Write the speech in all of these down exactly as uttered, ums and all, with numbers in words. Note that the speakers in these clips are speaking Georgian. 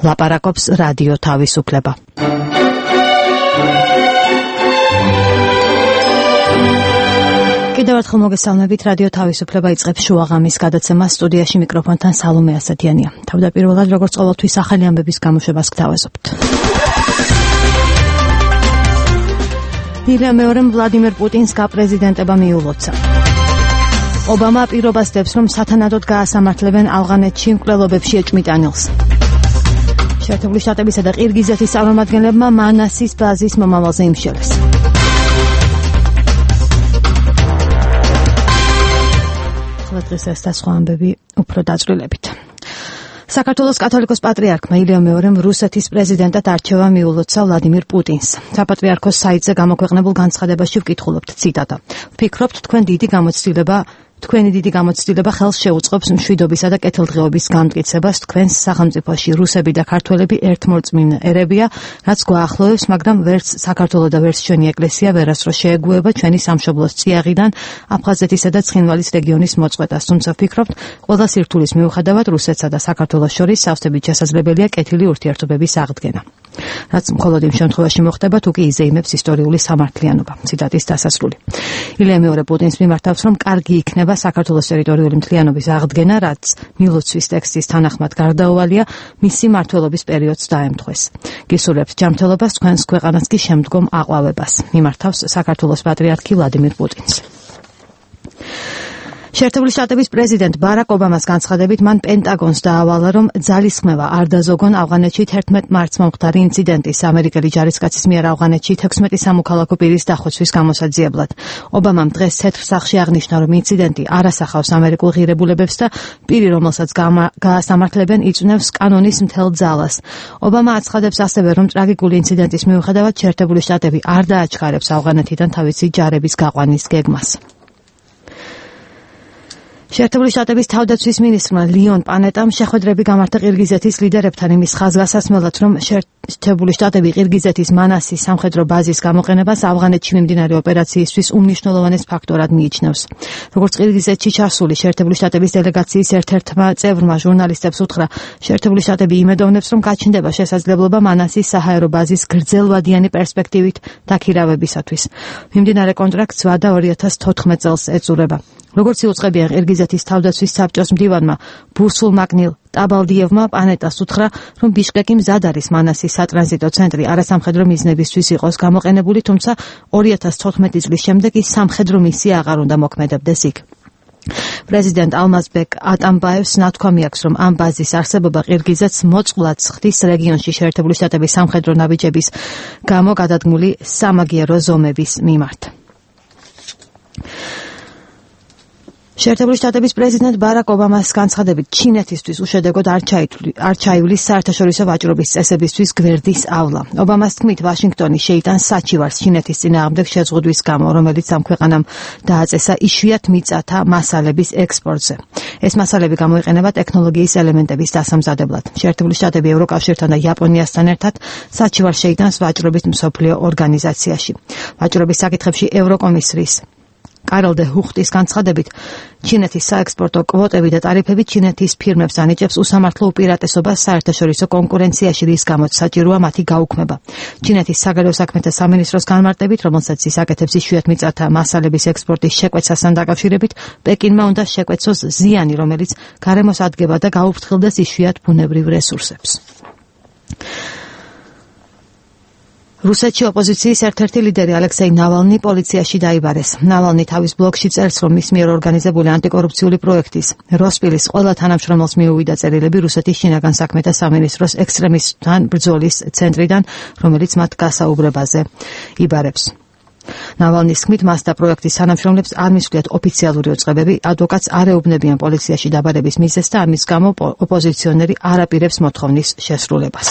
ლაპარაკობს რადიო თავისუფლება. კიდევ ერთხელ მოგესალმებით, რადიო თავისუფლება იწყებს შუაღამის გადაცემას. სტუდიაში მიკროფონთან სალომე ასათიანია. თავდაპირველად, როგორც ყოველთვის, ახალი ამბების გამოშვებას გთავაზობთ. ილია მეორემ ვლადიმერ პუტინს გაპრეზიდენტება მიულოცა. ობამა პირობას დებს, რომ სათანადოდ გაასამართლებენ ავღანეთში მკვლელობებში ეჭმიტანილს. შეერთებული შტატებისა და ყირგიზეთის წარმომადგენლებმა მანასის ბაზის მომავალზე იმშელეს. დღეს ეს და სხვა ამბები უფრო დაწვრილებით. საქართველოს კათოლიკოს პატრიარქმა ილია მეორემ რუსეთის პრეზიდენტად არჩევა მიულოცა ვლადიმირ პუტინს. საპატრიარქოს საიტზე გამოქვეყნებულ განცხადებაში ვკითხულობთ ციტატა. ვფიქრობთ, თქვენ დიდი გამოცდილება თქვენი დიდი გამოცდილება ხელს შეუწყობს მშვიდობისა და კეთილდღეობის განმტკიცებას თქვენს სახელმწიფოში. რუსები და ქართველები ერთმორწმუნე ერებია, რაც გვაახლოვებს, მაგრამ ვერც საქართველოს და ვერც ჩვენი ეკლესია ვერასდროს შეეგუება ჩვენი სამშობლოს წიაღიდან აფხაზეთისა და ცხინვალის რეგიონის მოწყვეტას. თუმცა ვფიქრობთ, ყველა სირთულის მიუხედავად რუსეთსა და საქართველოს შორის სავსებით შესაძლებელია კეთილი ურთიერთობების აღდგენა. რაც მხოლოდ იმ შემთხვევაში მოხდება, თუ კი იზეიმებს ისტორიული სამართლიანობა. ციტატის დასასრული. ილია მეორე პუტინს მიმართავს, რომ კარგი იქნება საქართველოს ტერიტორიული მთლიანობის აღდგენა, რაც მილოცვის ტექსტის თანახმად გარდაუვალია, მისი მმართველობის პერიოდს დაემთხვეს. გისურვებთ ჯანმრთელობას, თქვენს ქვეყანას კი შემდგომ აყვავებას. მიმართავს საქართველოს პატრიარქი ვლადიმირ პუტინს. შეერთებული შტატების პრეზიდენტ ბარაკ ობამას განცხადებით მან პენტაგონს დაავალა, რომ ძალისხმევა არ დაზოგონ ავღანეთში თერთმეტ მარტს მომხდარი ინციდენტის ამერიკელი ჯარისკაცის მიერ ავღანეთში თექვსმეტი სამოქალაქო პირის დახოცვის გამოსაძიებლად. ობამამ დღეს თეთრ სახლში აღნიშნა, რომ ინციდენტი არ ასახავს ამერიკულ ღირებულებებს და პირი, რომელსაც გაასამართლებენ, იწვნევს კანონის მთელ ძალას. ობამა აცხადებს ასევე, რომ ტრაგიკული ინციდენტის მიუხედავად შეერთებული შტატები არ დააჩქარებს ავღანეთიდან თავისი ჯარების გაყვანის გეგმას. შეერთებული შტატების თავდაცვის მინისტრმა ლიონ პანეტამ შეხვედრები გამართა ყირგიზეთის ლიდერებთან იმის ხაზგასასმელად, რომ შეერთებული შტატები ყირგიზეთის მანასის სამხედრო ბაზის გამოყენებას ავღანეთში მიმდინარე ოპერაციისთვის უმნიშვნელოვანეს ფაქტორად მიიჩნევს. როგორც ყირგიზეთში ჩასული შეერთებული შტატების დელეგაციის ერთ-ერთმა წევრმა ჟურნალისტებს უთხრა, შეერთებული შტატები იმედოვნებს, რომ გაჩნდება შესაძლებლობა მანასის საჰაერო ბაზის გრძელვადიანი პერსპექტივით დაქირავებისათვის. მიმდინარე კონტრაქტს ვადა ორი ათას თოთხმეტ წელს ეწურება. როგორც იუწყებიან ყირგიზეთის თავდაცვის საბჭოს მდივანმა ბურსულ მაგნილ ტაბალდიევმა პანეტას უთხრა, რომ ბიშკეკი მზად არის მანასის სატრანზიტო ცენტრი არასამხედრო მიზნებისთვის იყოს გამოყენებული, თუმცა ორი ათას თოთხმეტი წლის შემდეგ ის სამხედრო მისია აღარ უნდა მოქმედებდეს იქ. პრეზიდენტ ალმაზბეკ ატამბაევს ნათქვამი აქვს, რომ ამ ბაზის არსებობა ყირგიზეთს მოწყვლად ხდის რეგიონში შეერთებული შტატების სამხედრო ნაბიჯების გამო გადადგმული სამაგიერო ზომების მიმართ. შეერთებული შტატების პრეზიდენტ ბარაკ ობამას განცხადებით ჩინეთისთვის უშედეგოდ არ ჩაივლის საერთაშორისო ვაჭრობის წესებისთვის გვერდის ავლა. ობამას თქმით, ვაშინგტონი შეიტანს საჩივარს ჩინეთის წინააღმდეგ შეზღუდვის გამო, რომელიც ამ ქვეყანამ დააწესა იშვიათ მიწათა მასალების ექსპორტზე. ეს მასალები გამოიყენება ტექნოლოგიის ელემენტების დასამზადებლად. შეერთებული შტატები ევროკავშირთან და იაპონიასთან ერთად საჩივარს შეიტანს ვაჭრობის მსოფლიო ორგანიზაციაში. ვაჭრობის საკითხებში ევროკომისრის კარლ დე ჰუხტის განცხადებით, ჩინეთის საექსპორტო კვოტები და ტარიფები ჩინეთის ფირმებს ანიჭებს უსამართლო უპირატესობას საერთაშორისო კონკურენციაში, რის გამოც საჭიროა მათი გაუქმება. ჩინეთის საგარეო საქმეთა სამინისტროს განმარტებით, რომელსაც ის აკეთებს იშვიათ მიწათა მასალების ექსპორტის შეკვეცასთან დაკავშირებით, პეკინმა უნდა შეკვეცოს ზიანი, რომელიც გარემოს ადგება და გაუფრთხილდეს იშვიათ ბუნებრივ რესურსებს. რუსეთში ოპოზიციის ერთ-ერთი ლიდერი ალექსეი ნავალნი პოლიციაში დაიბარეს. ნავალნი თავის ბლოგში წერს, რომ მის მიერ ორგანიზებული ანტიკორუფციული პროექტის როსპილის ყველა თანამშრომელს მიუვიდა წერილები რუსეთის შინაგან საქმეთა სამინისტროს ექსტრემისტთან ბრძოლის ცენტრიდან, რომელიც მათ გასაუბრებაზე იბარებს. ნავალნის თქმით, მას და პროექტის თანამშრომლებს არ მისვლიათ ოფიციალური უწყებები, ადვოკატს არ ეუბნებიან პოლიციაში დაბარების მიზეზს და ამის გამო ოპოზიციონერი არ აპირებს მოთხოვნის შესრულებას.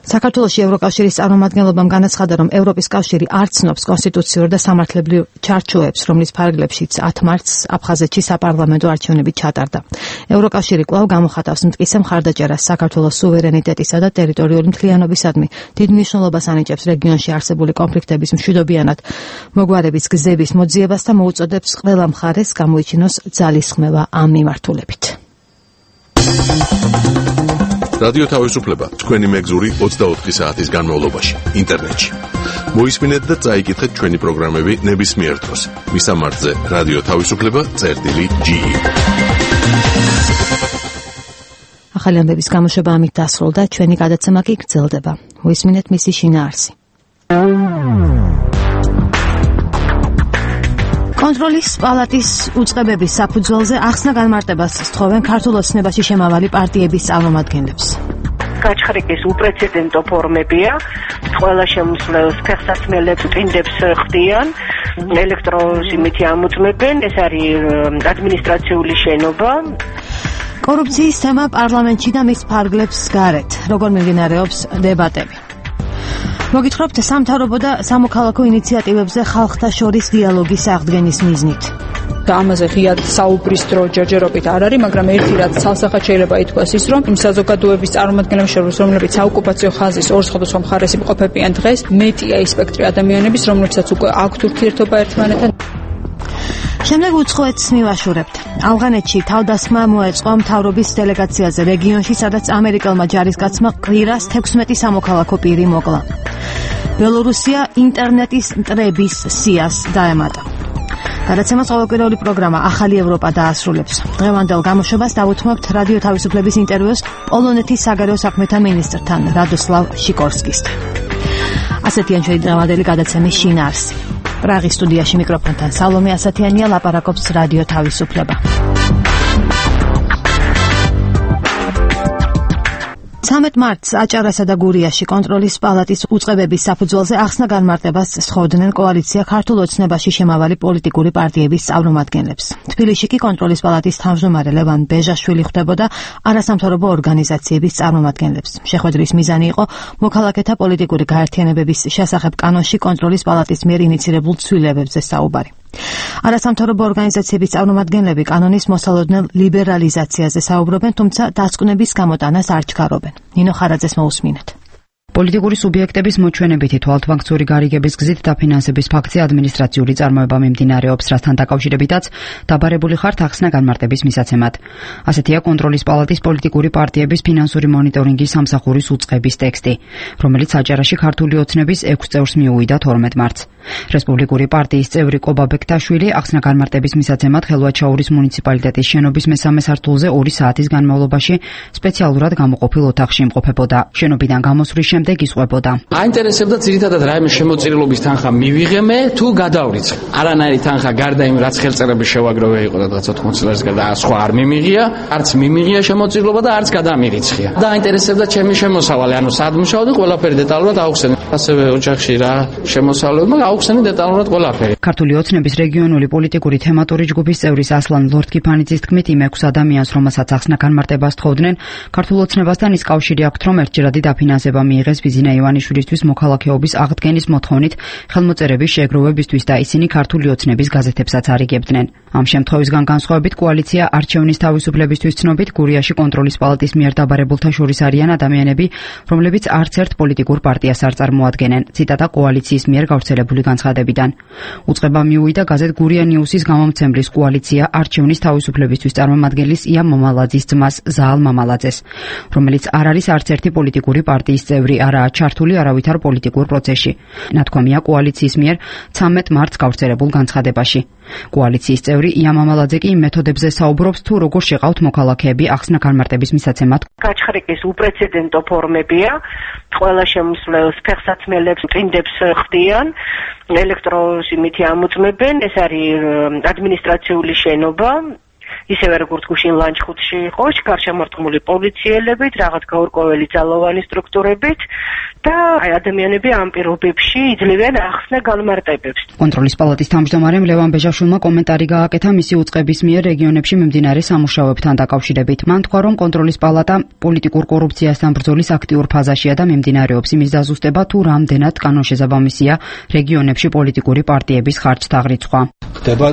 საქართველოში ევროკავშირის წარმომადგენლობამ განაცხადა, რომ ევროპის კავშირი არ ცნობს კონსტიტუციურ და სამართლებრივ ჩარჩოებს, რომლის ფარგლებშიც ათ მარტს აფხაზეთში საპარლამენტო არჩევნები ჩატარდა. ევროკავშირი კვლავ გამოხატავს მტკიცე მხარდაჭერას საქართველოს სუვერენიტეტისა და ტერიტორიული მთლიანობისადმი. დიდ მნიშვნელობას ანიჭებს რეგიონში არსებული კონფლიქტების მშვიდობიანად მოგვარების გზების მოძიებას და მოუწოდებს ყველა მხარეს გამოიჩინოს ძალისხმევა ამ მიმართულებით. რადიო თავისუფლება თქვენი მეგზური ოცდაოთხი საათის განმავლობაში ინტერნეტში. მოისმინეთ და წაიკითხეთ ჩვენი პროგრამები ნებისმიერ დროს. მისამართზე რადიო თავისუფლება წერტილი ჯი. ახალი ამბების გამოშვება ამით დასრულდა, ჩვენი გადაცემა კი გრძელდება. მოისმინეთ მისი შინაარსი. კონტროლის პალატის უწყებების საფუძველზე ახსნა განმარტებას სთხოვენ ქართულ ოცნებაში შემავალი პარტიების წარმომადგენლებს. გაჩხრიკის უპრეცედენტო ფორმებია, ყველა შემოსვლელს ფეხსაცმელებს ტინდებს ხდიან, ელექტროსიმითი ამოწმებენ, ეს არის ადმინისტრაციული შენობა. კორუფციის თემა პარლამენტში და მის ფარგლებს გარეთ, როგორ მიმდინარეობს დებატები. მოგითხრობთ სამთავრობო და სამოქალაქო ინიციატივებზე ხალხთა შორის დიალოგის აღდგენის მიზნით. და ამაზე ღიად საუბრის დრო ჯერჯერობით არ არის, მაგრამ ერთი რაც ცალსახად შეიძლება ითქვას ის, რომ იმ საზოგადოების წარმომადგენლებს შორის, რომლებიც საოკუპაციო ხაზის ორ სხვადასხვა მხარეს იმყოფებიან დღეს, მეტია ის სპექტრი ადამიანების, რომლებსაც უკვე აქვთ ურთიერთობა ერთმანეთთან. შემდეგ უცხოეთს მივაშურებთ. ავღანეთში თავდასხმა მოეწყო მთავრობის დელეგაციაზე რეგიონში, სადაც ამერიკელმა ჯარისკაცმა კვირას თექვსმეტი სამოქალაქო პირი მოკლა. ბელორუსია ინტერნეტის მტრების სიას დაემატა. გადაცემას ყოველკვირეული პროგრამა ახალი ევროპა დაასრულებს. დღევანდელ გამოშვებას დავუთმობთ რადიო თავისუფლების ინტერვიუს პოლონეთის საგარეო საქმეთა მინისტრთან რადოსლავ შიკორსკისთან. ასეთია ჩვენი დღევანდელი გადაცემის შინაარსი. პრაღის სტუდიაში მიკროფონთან სალომე ასათიანია, ლაპარაკობს რადიო თავისუფლება. ცამეტ მარტს აჭარასა და გურიაში კონტროლის პალატის უწყებების საფუძველზე ახსნა განმარტებას სთხოვდნენ კოალიცია ქართულ ოცნებაში შემავალი პოლიტიკური პარტიების წარმომადგენლებს. თბილისში კი კონტროლის პალატის თავმჯდომარე ლევან ბეჟაშვილი ხვდებოდა არასამთავრობო ორგანიზაციების წარმომადგენლებს. შეხვედრის მიზანი იყო მოქალაქეთა პოლიტიკური გაერთიანებების შესახებ კანონში კონტროლის პალატის მიერ ინიცირებულ ცვლილებებზე საუბარი. არასამთავრობო ორგანიზაციების წარმომადგენლები კანონის მოსალოდნელ ლიბერალიზაციაზე საუბრობენ, თუმცა დასკვნების გამოტანას არ ჩქარობენ. ნინო ხარაძეს მოусმინეთ. პოლიტიკური სუბიექტების მოჩვენებითი თვალთვანქციური გარიგების გზით დაფინანსების ფაქტზე ადმინისტრაციული წარმოება მიმდინარეობს, რასთან დაკავშირებითაც დაბარებული ხართ ახსნა განმარტების მისაცემად. ასეთია კონტროლის პალატის პოლიტიკური პარტიების ფინანსური მონიტორინგის სამსახურის უწყების ტექსტი, რომელიც აჭარაში ქართული ოცნების ექვს წევრს მიუვიდა თორმეტ მარტს. რესპუბლიკური პარტიის წევრი კობა ბექთაშვილი ახსნა განმარტების მისაცემად ხელვაჩაურის მუნიციპალიტეტის შენობის მესამე სართულზე ორი საათის განმავლობაში სპეციალურად გამოყოფილ ოთახში იმყოფებოდა. შენობიდან გამოსვლის შემდეგ ისყვებოდა. აინტერესებდა ძირითადად რაიმე შემოწირულობის თანხა მივიღე მე თუ გადავრიცხე. არანაირი თანხა გარდა იმ რაც ხელწერების შევაგროვე იყო და ოთხმოცდაათ წელს გარდა სხვა არ მიმიღია, არც მიმიღია შემოწირულობა და არც გადამირიცხია. და აინტერესებდა ჩემი შემოსავალი, ანუ სად მუშაობდი, ყველაფერი დეტალურად აუხსენე. ასევე ოჯახში რა შემოსავლებმა აუხსენე დეტალურად ყველაფერი. ქართული ოცნების რეგიონული პოლიტიკური თემატური ჯგუფის წევრის ასლან ლორდკიფანიძის თქმით, იმ ექვს ადამიანს, რომელსაც ახსნა განმარტებას თხოვდნენ, ქართულ ოცნებასთან ის კავშირი აქვთ, რომ ერთჯერადი დაფინანსება მიიღეს ვიზინა ივანიშვილისთვის მოქალაქეობის აღდგენის მოთხოვნით ხელმოწერების შეგროვებისთვის და ისინი ქართული ოცნების გაზეთებსაც არიგებდნენ. ამ შემთხვევისგან განსხვავებით კოალიცია არჩევნის თავისუფლებისთვის ცნობით გურიაში კონტროლის პალატის მიერ დაბარებულთა შორის არიან ადამიანები, რომლებიც არც ერთ პოლიტიკურ პარტიას არ წარმოადგენენ. ციტატა კოალიციის მიერ გავრცელებული განცხადებიდან. უწყება მიუვიდა გაზეთ გურია ნიუსის გამომცემლის კოალიცია არჩევნის თავისუფლებისთვის წარმომადგენლის ია მომალაძის ძმას ზაალ მამალაძეს, რომელიც არ არის არც ერთი პოლიტიკური პარტიის წევრი, არაა ჩართული არავითარ პოლიტიკურ პროცესში. ნათქვამია კოალიციის მიერ ცამეტ მარტს გავრცელებულ განცხადებაში. კოალიციის წევრი ია მამალაძე კი იმ მეთოდებზე საუბრობს, თუ როგორ შეყავთ მოქალაქეები ახსნა განმარტების მისაცემად. გაჩხრიკის უპრეცედენტო ფორმებია, ყველა შემოსვლელს ფეხსაცმელებს ტინდებს ხდიან, ელექტროსიმითი ამოწმებენ, ეს არის ადმინისტრაციული შენობა. ისევე როგორც გუშინ ლანჩხუთში იყო, გარშემორტყმული პოლიციელებით, რაღაც გაურკვეველი ძალოვანი სტრუქტურებით და ადამიანები ამ პირობებში იძლევენ ახსნა განმარტებებს. კონტროლის პალატის თავმჯდომარემ ლევან ბეჟაშვილმა კომენტარი გააკეთა მისი უწყების მიერ რეგიონებში მიმდინარე სამუშაოებთან დაკავშირებით. მან თქვა, რომ კონტროლის პალატა პოლიტიკურ კორუფციასთან ბრძოლის აქტიურ ფაზაშია და მიმდინარეობს იმის დაზუსტება, თუ რამდენად კანონშეზაბამისია რეგიონებში პოლიტიკური პარტიების ხარჯთა რიცხვა. ხდება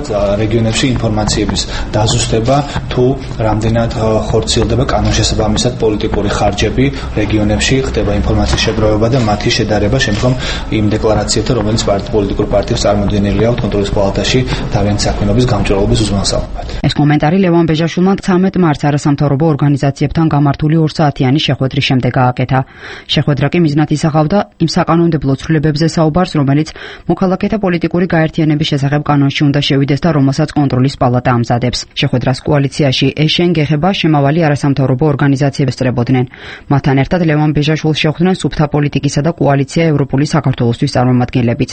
რეგიონებში ინფორმაციების დაზუსტება იცვლება თუ რამდენად ხორციელდება კანონშესაბამისად პოლიტიკური ხარჯები რეგიონებში, ხდება ინფორმაციის შეგროვება და მათი შედარება შემდგომ იმ დეკლარაციებთან, რომელიც პოლიტიკურ პარტიებს წარმოდგენილი აქვს კონტროლის პალატაში თავიანთი საქმიანობის გამჭვირვალობის უზრუნველსაყოფად. ეს კომენტარი ლევან ბეჟაშვილმა ცამეტ მარტს არასამთავრობო ორგანიზაციებთან გამართული ორსაათიანი შეხვედრის შემდეგ გააკეთა. შეხვედრა კი მიზნად ისახავდა იმ საკანონმდებლო ცვლილებებზე საუბარს, რომელიც მოქალაქეთა პოლიტიკური გაერთიანების შესახებ კანონში უნდა შევიდეს და რომელსაც კონტროლის პალატა ამზადებს. შეხვედრას კოალიციაში ეშენ გეხება შემავალი არასამთავრობო ორგანიზაციები სწრებოდნენ. მათთან ერთად ლევან ბეჟაშვილს შეხვდნენ სუფთა პოლიტიკისა და კოალიცია ევროპული საქართველოსთვის წარმომადგენლებიც.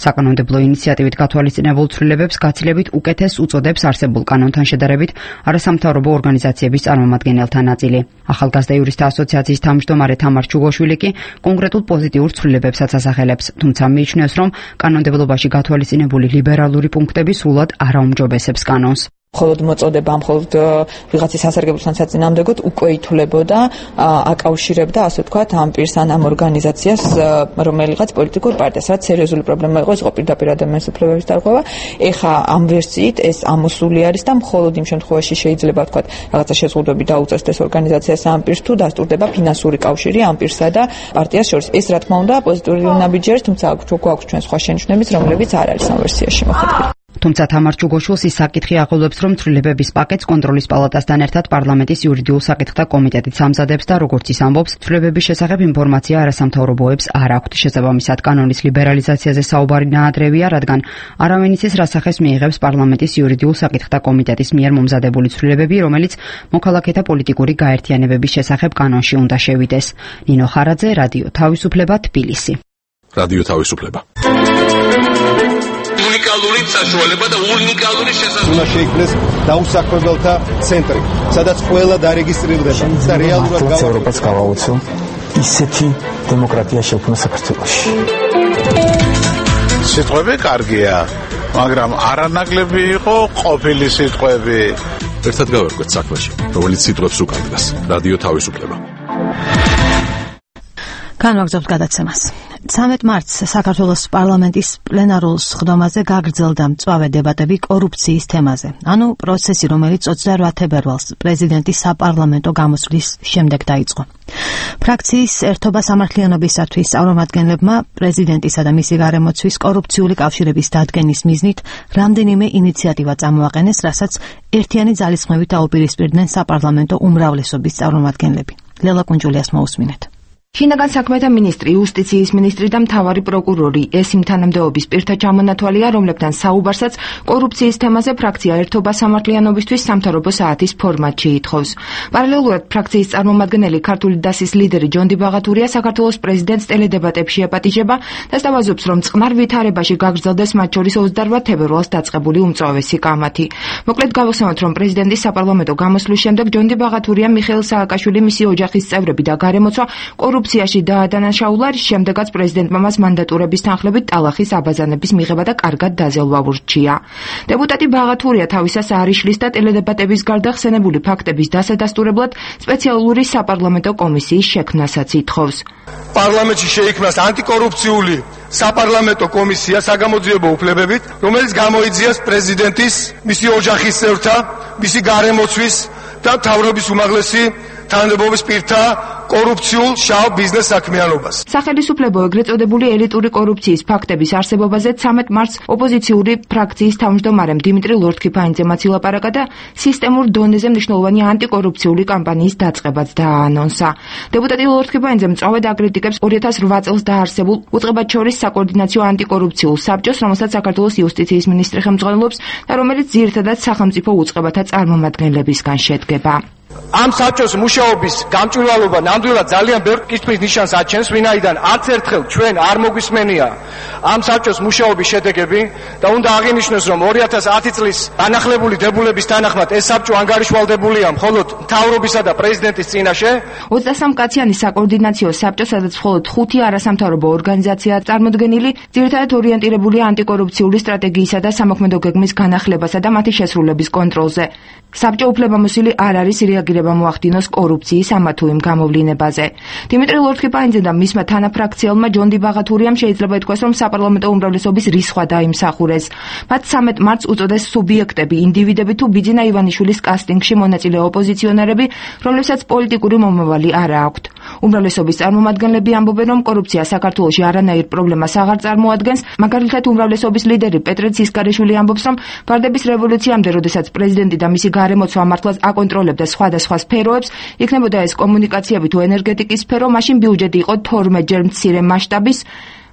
საკანონმდებლო ინიციატივით გათვალისწინებულ ცვლილებებს გაცილებით უკეთეს უწოდებს არსებულ კანონთან შედარებით არასამთავრობო ორგანიზაციების წარმომადგენელთა ნაწილი. ახალგაზრდა იურისტთა ასოციაციის თავმჯდომარე თამარ ჩუგოშვილი კი კონკრეტულ პოზიტიურ ცვლილებებსაც ასახელებს, თუმცა მიიჩნევს, რომ კანონმდებლობაში გათვალისწინებული ლიბერალური პუნქტები სრულად არ აუმჯობესებს კანონს. მხოლოდ მოწოდება, მხოლოდ ვიღაცის სასარგებლოსთან საწინააღმდეგოდ უკვე ითვლებოდა, აკავშირებდა, ასე ვთქვათ, ამ პირს ან ამ ორგანიზაციას, რომელიღაც პოლიტიკურ პარტიას, რაც სერიოზული პრობლემა იყო, ეს იყო პირდაპირ ადამიანის უფლებების დარღვევა. ეხა ამ ვერსიით ეს ამოსული არის და მხოლოდ იმ შემთხვევაში შეიძლება ვთქვათ, რაღაცა შეზღუდვები დაუწესდეს ეს ორგანიზაციას ამ პირს, თუ დასტურდება ფინანსური კავშირი ამ პირსა და პარტიას შორის. ეს რა თქმა უნდა პოზიტიური ნაბიჯი არის, თუმცა გვაქვს ჩვენ სხვა შენიშვნებიც, რომლებიც არ არის ამ ვერსიაში მოხდილი. თუმცა თამარ ჩუგოშვილს ის საკითხი აღელვებს, რომ ცვლილებების პაკეტს კონტროლის პალატასთან ერთად პარლამენტის იურიდიულ საკითხთა კომიტეტიც ამზადებს და როგორც ის ამბობს, ცვლილებების შესახებ ინფორმაცია არასამთავრობოებს არ აქვთ. შესაბამისად, კანონის ლიბერალიზაციაზე საუბარი ნაადრევია, რადგან არავინ იცის რა სახეს მიიღებს პარლამენტის იურიდიულ საკითხთა კომიტეტის მიერ მომზადებული ცვლილებები, რომელიც მოქალაქეთა პოლიტიკური გაერთიანებების შესახებ კანონში უნდა შევიდეს. ნინო ხარაძე, რადიო თავისუფლება, თბილისი. რადიო თავისუფლება. უნიკალური საშუალება და უნიკალური შესაძლებლობა. უნდა შეიქმნეს დაუსაქმებელთა ცენტრი, სადაც ყველა დარეგისტრირდება და რეალურად ევროპას გავაუწო ისეთი დემოკრატია შექმნა საქართველოში. სიტყვები კარგია, მაგრამ არანაკლები იყო ყოფილი სიტყვები. ერთად გავერკვეთ საქმეში, რომელიც სიტყვებს უკანდგას. რადიო თავისუფლება. განვაგრძობთ გადაცემას. ცამეტ მარტს საქართველოს პარლამენტის პლენარულ სხდომაზე გაგრძელდა მწვავე დებატები კორუფციის თემაზე. ანუ პროცესი, რომელიც ოცდაოთხ თებერვალს პრეზიდენტის საპარლამენტო გამოსვლის შემდეგ დაიწყო. ფრაქციის ერთობა სამართლიანობისათვის წარმომადგენლებმა პრეზიდენტისა და მისი გარემოცვის კორუფციული კავშირების დადგენის მიზნით რამდენიმე ინიციატივა წამოაყენეს, რასაც ერთიანი ძალისხმევით დაუპირისპირდნენ საპარლამენტო უმრავლესობის წარმომადგენლები. ლელა კუნჯულიას მოусმინეთ. შინაგან საქმეთა მინისტრი, იუსტიციის მინისტრი და მთავარი პროკურორი ეს იმ თანამდებობის პირთა ჩამონათვალია, რომლებთან საუბარსაც კორუფციის თემაზე ფრაქცია ერთობა სამართლიანობისთვის სამთავრობო საათის ფორმატში ითხოვს. პარალელურად ფრაქციის წარმომადგენელი ქართული დასის ლიდერი ჯონდი ბაღათურია საქართველოს პრეზიდენტს ტელედებატებში აპატიჟება და სთავაზობს, რომ წყნარ ვითარებაში გაგრძელდეს მათ შორის ოცდაოთხ თებერვალს დაწყებული უმწვავესი კამათი. მოკლედ გავხსენოთ, რომ პრეზიდენტის საპარლამენტო გამოსვლის შემდეგ ჯონდი ბაღათურია მიხეილ სააკაშვილი, მისი ოჯახის წევრები და გარემოცვა კორუფციაში დაადანაშაულა, რის შემდეგაც პრეზიდენტმა მას მანდატურების თანხლებით ტალახის აბაზანების მიღება და კარგად დაზელვა ურჩია. დეპუტატი ბაღათურია თავისას არიშლის და ტელედებატების გარდა ხსენებული ფაქტების დასადასტურებლად სპეციალური საპარლამენტო კომისიის შექმნასაც ითხოვს. პარლამენტში შეიქმნას ანტიკორუფციული საპარლამენტო კომისია საგამოძიებო უფლებებით, რომელიც გამოიძიას პრეზიდენტის, მისი ოჯახის წევრთა, მისი გარემოცვის და მთავრობის უმაღლესი თანამდებობის პირთა კორუფციულ შავ ბიზნეს საქმიანობას. სახელისუფლებო ეგრეთ წოდებული ელიტური კორუფციის ფაქტების არსებობაზე ცამეტ მარტს ოპოზიციური ფრაქციის თავმჯდომარემ დიმიტრი ლორთქიფანიძემაც ილაპარაკა და სისტემურ დონეზე მნიშვნელოვანი ანტიკორუფციული კამპანიის დაწყებაც დააანონსა. დეპუტატი ლორთქიფანიძე მწვავედ აკრიტიკებს ორი ათას რვა წელს დაარსებულ უწყებად შორის საკოორდინაციო ანტიკორუფციულ საბჭოს, რომელსაც საქართველოს იუსტიციის მინისტრი ხელმძღვანელობს და რომელიც ძირითადად სახელმწიფო უწყებათა წარმომადგენლებისგან შედგება. ამ საბჭოს მუშაობის გამჭვირვალობა ნამდვილად ძალიან ბევრ კითხვის ნიშანს აჩენს, ვინაიდან არც ერთხელ ჩვენ არ მოგვისმენია ამ საბჭოს მუშაობის შედეგები და უნდა აღინიშნოს, რომ ორი ათას ათი წლის განახლებული დებულების თანახმად ეს საბჭო ანგარიშვალდებულია მხოლოდ მთავრობისა და პრეზიდენტის წინაშე. ოცდასამ კაციანი საკოორდინაციო საბჭო, სადაც მხოლოდ ხუთი არასამთავრობო ორგანიზაციაა წარმოდგენილი, ძირითადად ორიენტირებულია ანტიკორუფციული სტრატეგიისა და სამოქმედო გეგმის განახლებასა და მათი შესრულების კონტროლზე. საბჭო უფლებამოსილი არ არის რეაგირებულ განხორციელება მოახდინოს კორუფციის ამა თუ იმ გამოვლინებაზე. დიმიტრი ლორთქიფანიძე და მისმა თანაფრაქციელმა ჯონდი ბაღათურიამ შეიძლება ითქვას, რომ საპარლამენტო უმრავლესობის რისხვა დაიმსახურეს. მათ სამედ მარტს უწოდეს სუბიექტები, ინდივიდები თუ ბიძინა ივანიშვილის კასტინგში მონაწილე ოპოზიციონერები, რომლებსაც პოლიტიკური მომავალი არ აქვთ. უმრავლესობის წარმომადგენლები ამბობენ, რომ კორუფცია საქართველოში არანაირ პრობლემას აღარ წარმოადგენს. მაგალითად, უმრავლესობის ლიდერი პეტრე ცისკარიშვილი ამბობს, რომ ვარდების რევოლუციამდე, როდესაც პრეზიდენტი და მისი გარემოცვა მართლაც აკონტროლებდა სხვადასხვა სფეროებს, იქნებოდა ეს კომუნიკაციები თუ ენერგეტიკის სფერო, მაშინ ბიუჯეტი იყო თორმეტჯერ მცირე მასშტაბის,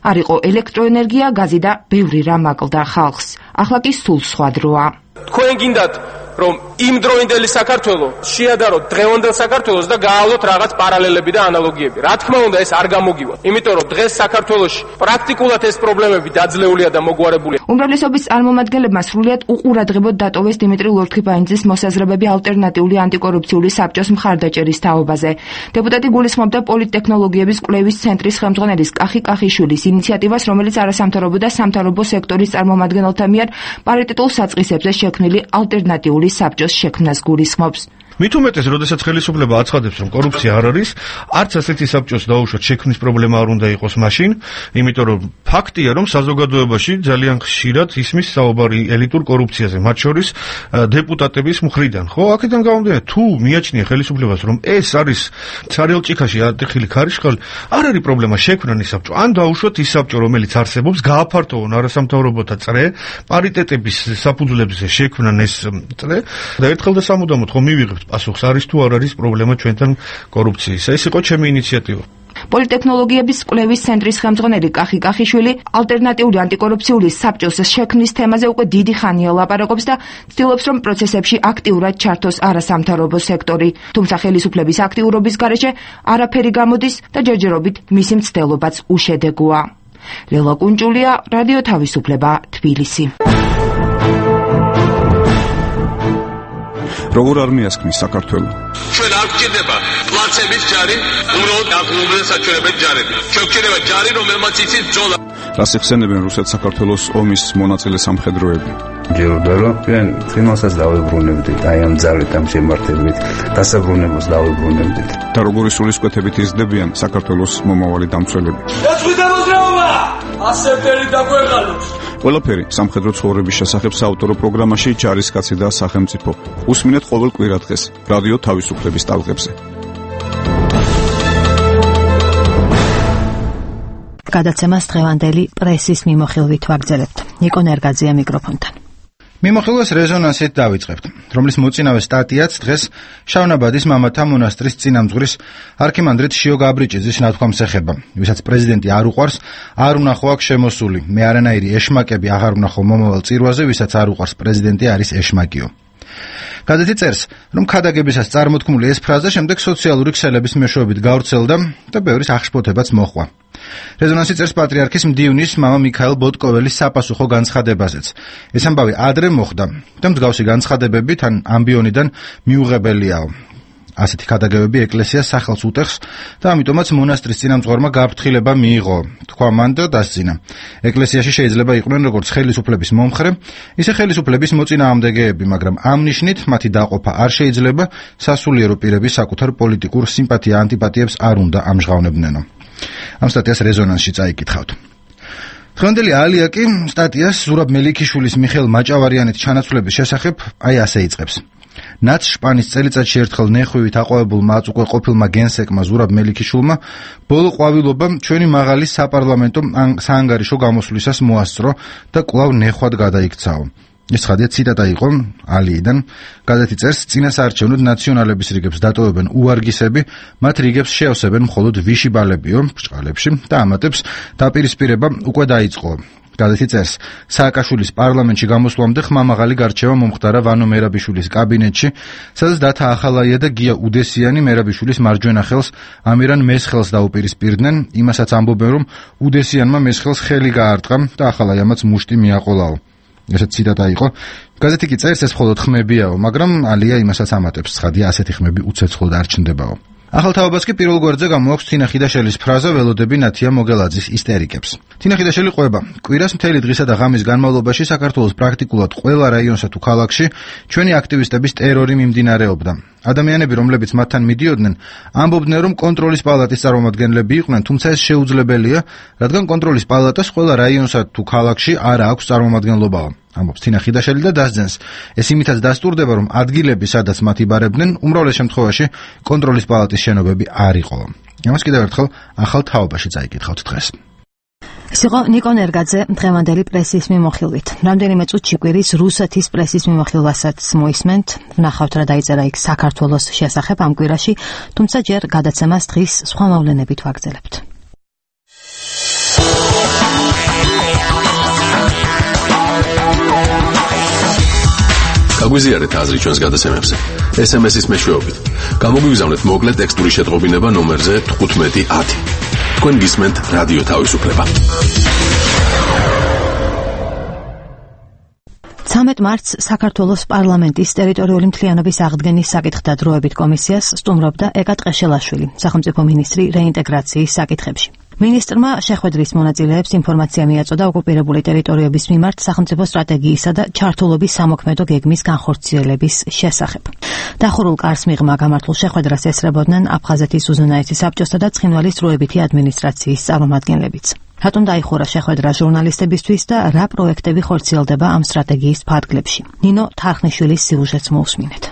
არ იყო ელექტროენერგია, გაზი და ბევრი რამ აკლდა ხალხს. ახლა კი სულ სხვა დროა. თქვენ გინდათ რომ იმ დროინდელი საქართველო შეადაროთ დღევანდელ საქართველოს და გაავლოთ რაღაც პარალელები და ანალოგიები. რა თქმა უნდა, ეს არ გამოგივათ, იმიტომ რომ დღეს საქართველოში პრაქტიკულად ეს პრობლემები დაძლეულია და მოგვარებულია. უმრავლესობის წარმომადგენლებმა სრულიად უყურადღებოდ დატოვეს დიმიტრი ლორთქიფანიძის მოსაზრებები ალტერნატიული ანტიკორუფციული საბჭოს მხარდაჭერის თაობაზე. დეპუტატი გულისხმობდა პოლიტტექნოლოგიების კვლევის ცენტრის ხელმძღვანელის კახი კახიშვილის ინიციატივას, რომელიც არასამთავრობო და სამთავრობო სექტორის წარმომადგენელთა მიერ პარიტეტულ საწყისებზე შექმნილი ალტერნატიული საბჭოს შექმნას გულისხმობს. მით უმეტეს, როდესაც ხელისუფლება აცხადებს, რომ კორუფცია არ არის, არც ასეთი საბჭოს დაუშვათ შექმნის პრობლემა არ უნდა იყოს მაშინ, იმიტომ რომ ფაქტია, რომ საზოგადოებაში ძალიან ხშირად ისმის საუბარი ელიტურ კორუფციაზე, მათ შორის დეპუტატების მხრიდან. ხო, აქედან გამომდინარე, თუ მიაჩნია ხელისუფლებას, რომ ეს არის ცარიელჭიქაში ატეხილი ქარიშხალი, არ არის პრობლემა შექმნან ის საბჭო. ან დაუშვათ ის საბჭო, რომელიც არსებობს, გააფართოვონ არასამთავრობოთა წრე, პარიტეტების საფუძვლებზე შექმნან ეს წრე და ერთხელ და სამუდამოდ ხომ მივიღებთ პასუხს, არის თუ არ არის პრობლემა ჩვენთან კორუფციისა. ეს იყო ჩემი ინიციატივა. პოლიტტექნოლოგიების კვლევის ცენტრის ხელმძღვანელი კახი კახიშვილი ალტერნატიული ანტიკორუფციული საბჭოს შექმნის თემაზე უკვე დიდი ხანია ლაპარაკობს და ცდილობს, რომ პროცესებში აქტიურად ჩართოს არასამთავრობო სექტორი. თუმცა ხელისუფლების აქტიურობის გარეშე არაფერი გამოდის და ჯერჯერობით მისი მცდელობაც უშედეგოა. ლელა კუნჭულია, რადიო თავისუფლება, თბილისი. როგორ არ მიასქმის საქართველო? ჩვენ არ გვჭირდება პლაცების ჯარი, უბრალოდ აღლუმრე საჩვენებელი ჯარები. ჩვენ გვჭირდება ჯარი, რომელმაც იცის ბრძოლა. რას იხსენებენ რუსეთ-საქართველოს ომის მონაწილე სამხედროები? ჯეროდა რომ ჩვენ წინასაც დავებრუნებდით, აი ამ ძალით, ამ შემართებით, დასაბრუნებას დავებრუნებდით. და როგორი სულისკვეთებით იზრდებიან საქართველოს მომავალი დამცველები? ეს ვიდა მოძრაობა! ასეთერი დაგვეღალოს. ყველაფერი სამხედრო ცხოვრების შესახებ საავტორო პროგრამაში ჯარისკაცი და სახელმწიფო. უსმინეთ ყოველ კვირა დღეს რადიო თავისუფლების ტალღებზე. გადაცემას დღევანდელი პრესის მიმოხილვით ვაგრძელებთ. ნიკო ნერგაძეა მიკროფონთან. მიმოხილვას რეზონანსით დავიწყებთ, რომლის მოწინავე სტატიაც დღეს შავნაბადის მამათა მონასტრის წინამძღვრის არქიმანდრით შიო გაბრიჭიძის ნათქვამს ეხება, ვისაც პრეზიდენტი არ უყვარს, არ უნახო აქ შემოსული. მე არანაირი ეშმაკები აღარ უნახო მომავალ წირვაზე, ვისაც არ უყვარს პრეზიდენტი არის ეშმაკიო. გადაცი წერს, რომ ქადაგებისას წარმოთქმული ეს ფრაზა შემდეგ სოციალური ქსელების მეშვეობით გავრცელდა და ბევრის აღშფოთებაც მოჰყვა. რეზონანსი წერს პატრიარქის მდივნის მამა მიქაელ ბოტკოველის საპასუხო განცხადებაზეც. ეს ამბავი ადრე მოხდა და მსგავსი განცხადებები თან ამბიონიდან მიუღებელიაო. ასეთი ქადაგებები ეკლესიას სახელს უტეხს და ამიტომაც მონასტრის წინამძღვარმა გაფრთხილება მიიღო, თქვა მან და დასძინა. ეკლესიაში შეიძლება იყვნენ როგორც ხელისუფლების მომხრე, ისე ხელისუფლების მოწინააღმდეგეები, მაგრამ ამ ნიშნით მათი დაყოფა არ შეიძლება, სასულიერო პირები საკუთარ პოლიტიკურ სიმპათია-ანტიპათიებს არ უნდა ამჟღავნებნენო. ამ სტატიას რეზონანსში წაიკითხავთ. დღევანდელი ალია კი სტატიას ზურაბ მელიქიშვილის მიხეილ მაჭავარიანით ჩანაცვლების შესახებ აი ასე იწყებს. ნაც შპანის წელიწადში ერთხელ ნეხვივით აყვავებულმა აწუყვე ყოფილმა გენსეკმა ზურაბ მელიქიშვილმა ბოლო ყვავილობა ჩვენი მაღალი საპარლამენტო საანგარიშო გამოსვლისას მოასწრო და კვლავ ნეხვად გადაიქცაო. ეს ხადია ციტატა იყო ალიიდან. გადაცი წერს, წინასაარჩევნოდ ნაციონალების რიგებს დატოვებენ უარგისები, მათ რიგებს შეავსებენ მხოლოდ ვიშიბალებიო ბრჭყალებში და ამატებს დაპირისპირება უკვე დაიწყო. გადაცი წერს, სააკაშვილის პარლამენტში გამოსვლამდე ხმამაღალი გარჩევა მომხდარა ვანო მერაბიშვილის კაბინეტში, სადაც დათა ახალაია და გია უდესიანი მერაბიშვილის მარჯვენა ხელს ამირან მესხელს დაუპირისპირდნენ, იმასაც ამბობენ, რომ უდესიანმა მესხელს ხელი გაარტყა და ახალაიამაც მუშტი მიაყოლაო. ესეც ციტატა იყო. გაზეთი კი წერს, ეს მხოლოდ ხმებიაო, მაგრამ ალია იმასაც ამატებს, ცხადია ასეთი ხმები უცეცხლოდ არ ჩნდებაო. ახალ თაობას კი პირველ გვერდზე გამოაქვს თინა ხიდაშელის ფრაზა ველოდები ნათია მოგელაძის ისტერიკებს. თინა ხიდაშელი ყვება, კვირას მთელი დღისა და ღამის განმავლობაში საქართველოს პრაქტიკულად ყველა რაიონსა თუ ქალაქში ჩვენი აქტივისტების ტერორი მიმდინარეობდა. ადამიანები, რომლებიც მათთან მიდიოდნენ, ამბობდნენ, რომ კონტროლის პალატის წარმომადგენლები იყვნენ, თუმცა ეს შეუძლებელია, რადგან კონტროლის პალატას ყველა რაიონსა თუ ქალაქში არ აქვს წარმომადგენლობა. ამბობს თინა ხიდაშელი და დასძენს, ეს იმითაც დასტურდება, რომ ადგილები, სადაც მათ იბარებდნენ, უმრავლეს შემთხვევაში კონტროლის პალატის შენობები არ იყო. ამას კიდევ ერთხელ ახალ თაობაში წაიკითხავთ დღეს. ეს იყო ნიკო ნერგაძე დღევანდელი პრესის მიმოხილვით. რამდენიმე წუთში კვირის რუსეთის პრესის მიმოხილვასაც მოისმენთ. ვნახავთ რა დაიწერა იქ საქართველოს შესახებ ამ კვირაში, თუმცა ჯერ გადაცემას დღის სხვა მოვლენებით ვაგრძელებთ. გაგვიზიარეთ აზრი ჩვენს გადაცემებზე. ეს ემ ეს-ის მეშვეობით. გამოგვიგზავნეთ მოკლე ტექსტური შეტყობინება ნომერზე თხუთმეტი ათი. თქვენ გისმენთ რადიო თავისუფლება. ცამეტ მარტს საქართველოს პარლამენტის ტერიტორიული მთლიანობის აღდგენის საკითხთა დროებით კომისიას სტუმრობდა ეკა ტყეშელაშვილი, სახელმწიფო მინისტრი რეინტეგრაციის საკითხებში. მინისტრმა შეხვედრის მონაწილეებს ინფორმაცია მიაწოდა ოკუპირებული ტერიტორიების მიმართ სახელმწიფო სტრატეგიისა და ჩართულობის სამოქმედო გეგმის განხორციელების შესახებ. დახურულ კარს მიღმა გამართულ შეხვედრას ესწრებოდნენ აფხაზეთის უზენაესი საბჭოსა და ცხინვალის დროებითი ადმინისტრაციის წარმომადგენლებიც. რატომ დაიხურა შეხვედრა ჟურნალისტებისთვის და რა პროექტები ხორციელდება ამ სტრატეგიის ფარგლებში? ნინო თარხნიშვილის სიუჟეტს მოусმინეთ.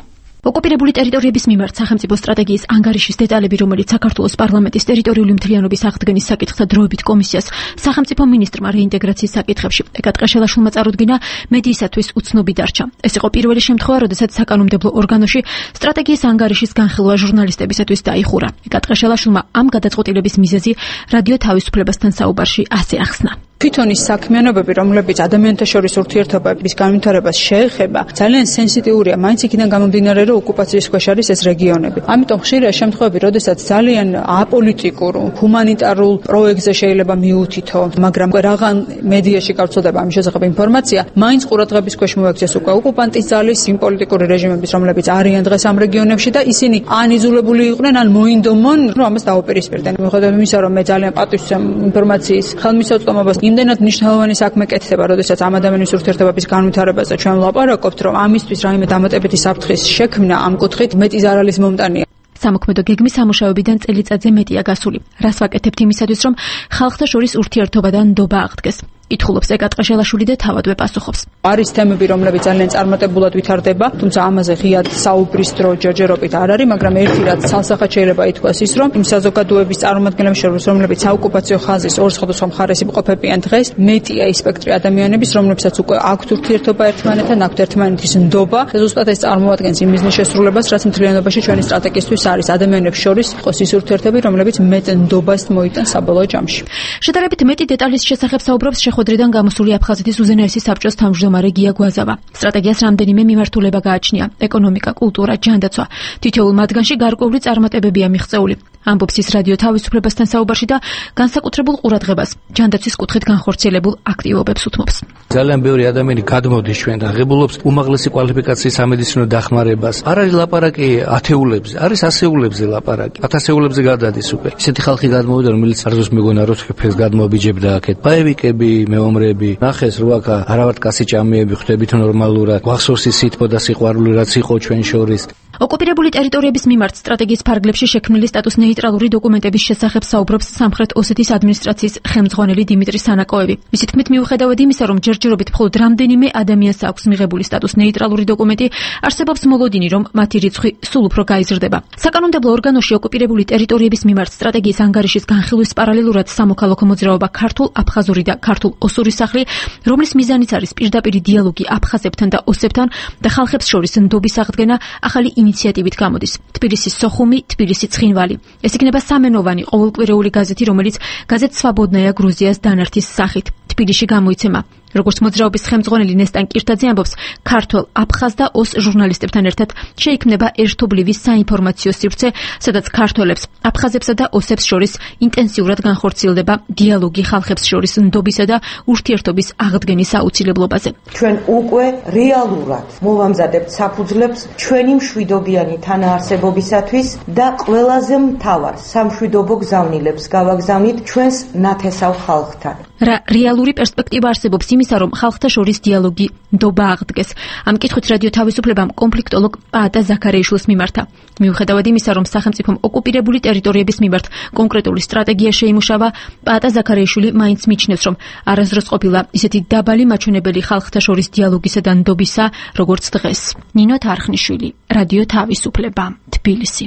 ოკუპირებული ტერიტორიების მიმართ სახელმწიფო სტრატეგიის ანგარიშის დეტალები, რომელიც საქართველოს პარლამენტის ტერიტორიული მთლიანობის აღდგენის საკითხთა დროებით კომისიას სახელმწიფო მინისტრმა რეინტეგრაციის საკითხებში ეკა ტყეშელაშვილმა წარუდგინა, მედიისათვის უცნობი დარჩა. ეს იყო პირველი შემთხვევა, როდესაც საკანონმდებლო ორგანოში სტრატეგიის ანგარიშის განხილვა ჟურნალისტებისათვის დაიხურა. ეკა ტყეშელაშვილმა ამ გადაწყვეტილების მიზეზი რადიო თავისუფლებასთან საუბარში ასე ახსნა. თვითონ ის საქმიანობები, რომლებიც ადამიანთა შორის ურთიერთობების განვითარებას შეეხება, ძალიან სენსიტიურია, მაინც იქიდან გამომდინარე, რომ ოკუპაციის ქვეშ არის ეს რეგიონები. ამიტომ ხშირია შემთხვევები, როდესაც ძალიან აპოლიტიკურ, ჰუმანიტარულ პროექტზე შეიძლება მიუთითო, მაგრამ რაღაც მედიაში გავრცელდება ამის შესახებ ინფორმაცია, მაინც ყურადღების ქვეშ მოექცეს უკვე ოკუპანტის ძალის იმ პოლიტიკური რეჟიმების, რომლებიც არიან დღეს ამ რეგიონებში და ისინი ან იზოლებული იყვნენ, ან მოინდომონ, რომ ამას დაუპირისპირდნენ. მიუხედავად იმისა, რომ მე ძალიან პატივს ვცემ ინფორმაციის ხელმისაწვდომობას, იმდენად მნიშვნელოვანი საქმე კეთდება, როდესაც ამ ადამიანის ურთიერთობების განვითარებაზე ჩვენ ვლაპარაკობთ, რომ ამისთვის რაიმე დამატებითი საფრთხის შექმნა ამ კუთხით მეტი ზარალის მომტანია. სამოქმედო გეგმის სამუშაოებიდან წელიწადზე მეტია გასული. რას ვაკეთებთ იმისათვის, რომ ხალხთა შორის ურთიერთობა და ნდობა აღდგეს? ითხოვს ეკა ტყეშელაშვილი და თავადვე პასუხობს. არის თემები, რომლებიც ძალიან წარმატებულად ვითარდება, თუმცა ამაზე ღიად საუბრის დრო ჯერჯერობით არ არის, მაგრამ ერთი რაც ცალსახად შეიძლება ითქვას ის, რომ იმ საზოგადოების წარმომადგენლების შორის, რომლებიც საოკუპაციო ხაზის ორ სხვადასხვა მხარეს იმყოფებიან დღეს, მეტია ის სპექტრი ადამიანების, რომლებსაც უკვე აქვთ ურთიერთობა ერთმანეთთან, აქვთ ერთმანეთის ნდობა და ზუსტად ეს წარმოადგენს იმ მიზნის შესრულებას, რაც მთლიანობაში ჩვენი სტრატეგიისთვის არის ადამიანებს შორის იყოს ის ურთიერთობები, რომლებიც მეტ ნდობას მოიტანს საბოლოო ჯამში. შედარებით მეტი დეტალის შესახებ საუბრობს შეხვედრიდან გამოსული აფხაზეთის უზენაესი საბჭოს თავმჯდომარე გია გვაზავა. სტრატეგიას რამდენიმე მიმართულება გააჩნია: ეკონომიკა, კულტურა, ჯანდაცვა. თითოეულ მათგანში გარკვეული წარმატებებია მიღწეული. ამბობს ის რადიო თავისუფლებასთან საუბარში და განსაკუთრებულ ყურადღებას ჯანდაცვის კუთხით განხორციელებულ აქტივობებს უთმობს. ძალიან ბევრი ადამიანი გადმოდის ჩვენ და ღებულობს უმაღლესი კვალიფიკაციის სამედიცინო დახმარებას. არ არის ლაპარაკი ათეულებზე, არის ასეულებზე ლაპარაკი. ათასეულებზე გადადის უკვე. ისეთი ხალხი გადმოვიდა, რომელიც არ ზუსტ მეგონა რო თქაფეს გადმოაბიჯებდა აქეთ. ბაევიკები, მეომრები, ნახეს რო აქ არავად კასი ჭამიები ხვდებით ნორმალურად. გვახსოვს ის სითბო და სიყვარული რაც იყო ჩვენ შორის. ოკუპირებული ტერიტორიების მიმართ სტრატეგიის ფარგლებში შექმნილი სტატუს ნეიტრალური დოკუმენტების შესახებ საუბრობს სამხრეთ ოსეთის ადმინისტრაციის ხელმძღვანელი დიმიტრი სანაკოევი. მისი თქმით, მიუხედავად იმისა, რომ ჯერჯერობით მხოლოდ რამდენიმე ადამიანს აქვს მიღებული სტატუს ნეიტრალური დოკუმენტი, არსებობს მოლოდინი, რომ მათი რიცხვი სულ უფრო გაიზრდება. საკანონმდებლო ორგანოში ოკუპირებული ტერიტორიების მიმართ სტრატეგიის ანგარიშის განხილვის პარალელურად სამოქალაქო მოძრაობა ქართულ აფხაზური და ქართულ ოსური სახლი, რომლის მიზანიც არის პირდაპირი დიალოგი აფხაზებთან და ოსებთან და ხალხებს შორის ნდობის აღდგენა, ახალი ინიციატივით გამოდის. თბილისის სოხუმი, თბილისი ცხინვალი. ეს იქნება სამენოვანი ყოველკვირეული გაზეთი, რომელიც გაზეთ სვაბოდნაია გრუზიას დანართის სახით თბილისში გამოიცემა. როგორც მოძრაობის ხელმძღვანელი ნესტან კირთაძე ამბობს, ქართველ, აფხაზ და ოს ჟურნალისტებთან ერთად შეიქმნება ერთობლივი საინფორმაციო სივრცე, სადაც ქართველებს, აფხაზებსა და ოსებს შორის ინტენსიურად განხორციელდება დიალოგი ხალხებს შორის ნდობისა და ურთიერთობის აღდგენის აუცილებლობაზე. ჩვენ უკვე რეალურად მოვამზადებთ საფუძვლებს ჩვენი მშვიდობიანი თანაარსებობისათვის და ყველაზე მთავარ სამშვიდობო გზავნილებს გავაგზავნით ჩვენს ნათესავ ხალხთან. რა რეალური პერსპექტივა არსებობს იმისა, რომ ხალხთა შორის დიალოგი ნდობა აღდგეს. ამ კითხვით რადიო თავისუფლებამ კონფლიქტოლოგ პაატა ზაქარეიშვილს მიმართა. მიუხედავად იმისა, რომ სახელმწიფომ ოკუპირებული ტერიტორიების მიმართ კონკრეტული სტრატეგია შეიმუშავა, პაატა ზაქარეიშვილი მაინც მიჩნევს, რომ არასდროს ყოფილა ისეთი დაბალი მაჩვენებელი ხალხთა შორის დიალოგისა და ნდობისა, როგორც დღეს. ნინო თარხნიშვილი, რადიო თავისუფლება, თბილისი.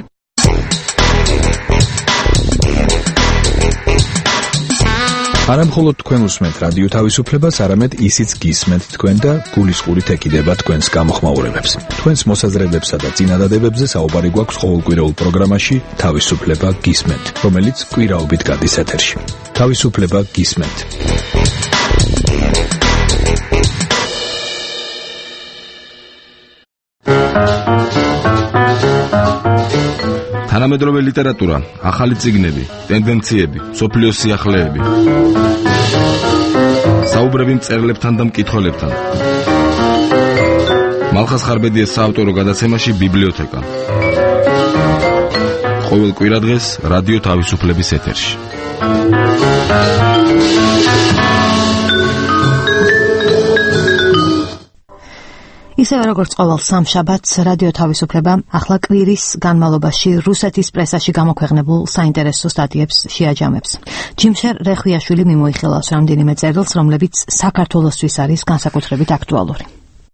არა მხოლოდ თქვენ უსმენთ რადიო თავისუფლებას, არამედ ისიც გისმენთ თქვენ და გულისყურით ეკიდება თქვენს გამოხმაურებებს. თქვენს მოსაზრებებსა და წინადადებებზე საუბარი გვაქვს ყოველკვირეულ პროგრამაში თავისუფლება გისმენთ, რომელიც კვირაობით გადის ეთერში. თავისუფლება გისმენთ. თანამედროვე ლიტერატურა, ახალი წიგნები, ტენდენციები, სოფლიოს სიახლეები. საუბრები მწერლებთან და მკითხველებთან. მალხაზ ხარბედიას საავტორო გადაცემაში ბიბლიოთეკა. ყოველ კვირადღეს რადიო თავისუფლების ეთერში. ისევე როგორც ყოველ სამშაბათს რადიო თავისუფლება ახლა კვირის განმავლობაში რუსეთის პრესაში გამოქვეყნებულ საინტერესო სტატიებს შეაჯამებს. ჯიმშერ რეხვიაშვილი მიმოიხილავს რამდენიმე წერილს, რომლებიც საქართველოსთვის არის განსაკუთრებით აქტუალური.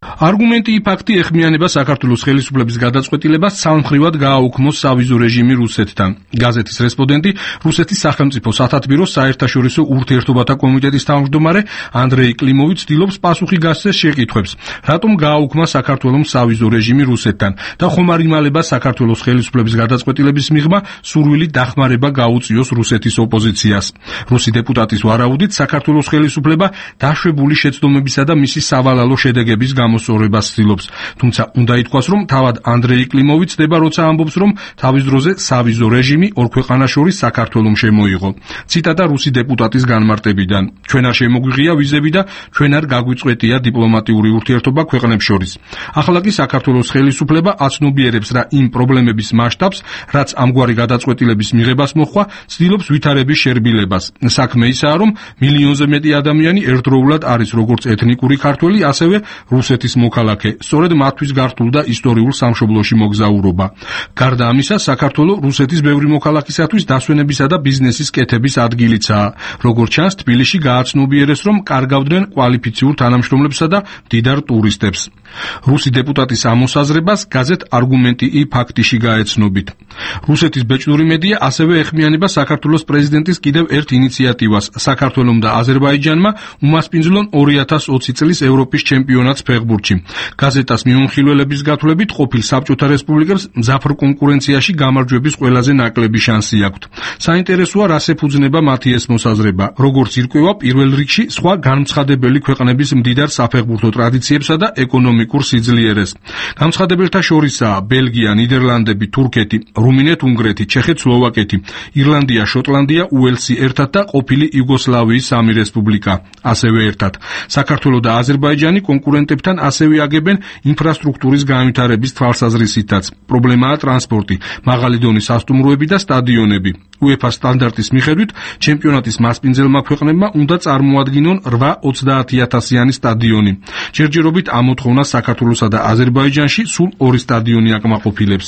არგუმენტი ფაქტი ეხმიანება საქართველოს ხელისუფლების გადაწყვეტილებას სამმხრივად გააუქმოს სავიზო რეჟიმი რუსეთთან. გაზეთის რესპონდენტი რუსეთის სახელმწიფო სათათბირო საერთაშორისო ურთიერთობათა კომიტეტის თავმჯდომარე ანდრეი კლიმოვი ცდილობს პასუხი გასცეს შეკითხვებს, რატომ გააუქმა საქართველოს სავიზო რეჟიმი რუსეთთან და ხომ არ იმალება საქართველოს ხელისუფლების გადაწყვეტილების მიღმა სურვილი დახმარება გაუწიოს რუსეთის ოპოზიციას. რუსი დეპუტატის ვარაუდით საქართველოს ხელისუფლება დაშვებული შეცდომებისა და მისი სავალალო შედეგების მოსწორებას ცდილობს, თუმცა უნდა ითქვას, რომ თავად ანდრეი კლიმოვი ცდება, როცა ამბობს, რომ თავის დროზე სავიზო რეჟიმი ორ ქვეყანას შორის საქართველოს შემოიღო. ციტატა რუსი დეპუტატის განმარტებიდან: ჩვენ არ შემოგვიღია ვიზები და ჩვენ არ გაგვიწყვეტია დიპლომატიური ურთიერთობა ქვეყნებს შორის. ახლა კი საქართველოს ხელისუფლება აცნობიერებს რა იმ პრობლემების მასშტაბს, რაც ამგვარი გადაწყვეტილების მიღებას მოჰყვა, ცდილობს ვითარების შერბილებას. საქმე ისაა, რომ მილიონზე მეტი ადამიანი ერთდროულად არის როგორც ეთნიკური ქართველი, ასევე რუსეთის მოქალაქე, სწორედ მათთვის გართულ და ისტორიულ სამშობლოში მოგზაურობა. გარდა ამისა, საქართველო რუსეთის ბევრი მოქალაქისათვის დასვენებისა და ბიზნესის კეთების ადგილიცაა. როგორც ჩანს, თბილისში გააცნობიერეს, რომ კარგავდნენ კვალიფიციურ თანამშრომლებსა და მდიდარ ტურისტებს. რუსი დეპუტატის ამოსაზრებას გაზეთ არგუმენტი ი ფაქტიში გაეცნობით. რუსეთის ბეჭდური მედია ასევე ეხმიანება საქართველოს პრეზიდენტის კიდევ ერთ ინიციატივას. საქართველომ და აზერბაიჯანმა უმასპინძლონ ორი ათას ოცი წლის ევროპის ჩემპიონატს ფეხბურთში. გაზეტას მიმომხილველების გათვლებით ყოფილ საბჭოთა რესპუბლიკებს მძაფრ კონკურენციაში გამარჯვების ყველაზე ნაკლები შანსი აქვთ. საინტერესოა, რას ეფუძნება მათი ეს მოსაზრება. როგორც ირკვევა, პირველ რიგში სხვა განმცხადებელი ქვეყნების მდიდარ საფეხბურთო ტრადიციებსა და ეკონომიკურ სიძლიერეს. განმცხადებელთა შორისაა ბელგია, ნიდერლანდები, თურქეთი, რუმინეთ-უნგრეთი, ჩეხეთ-სლოვაკეთი, ირლანდია, შოტლანდია, უელსი ერთად და ყოფილი იუგოსლავიის სამი რესპუბლიკა ასევე ერთად. საქართველო და აზერბაიჯანი კონკურენტებთან ასევე აგებენ ინფრასტრუქტურის განვითარების თვალსაზრისითაც. პრობლემაა ტრანსპორტი, მაღალი დონის სასტუმროები და სტადიონები. უეფა სტანდარტის მიხედვით ჩემპიონატის მასპინძელმა ქვეყნებმა უნდა წარმოადგინონ რვა ოცდაათიათასიანი სტადიონი. ჯერჯერობით ამ მოთხოვნას საქართველოსა და აზერბაიჯანში სულ ორი სტადიონი აკმაყოფილებს.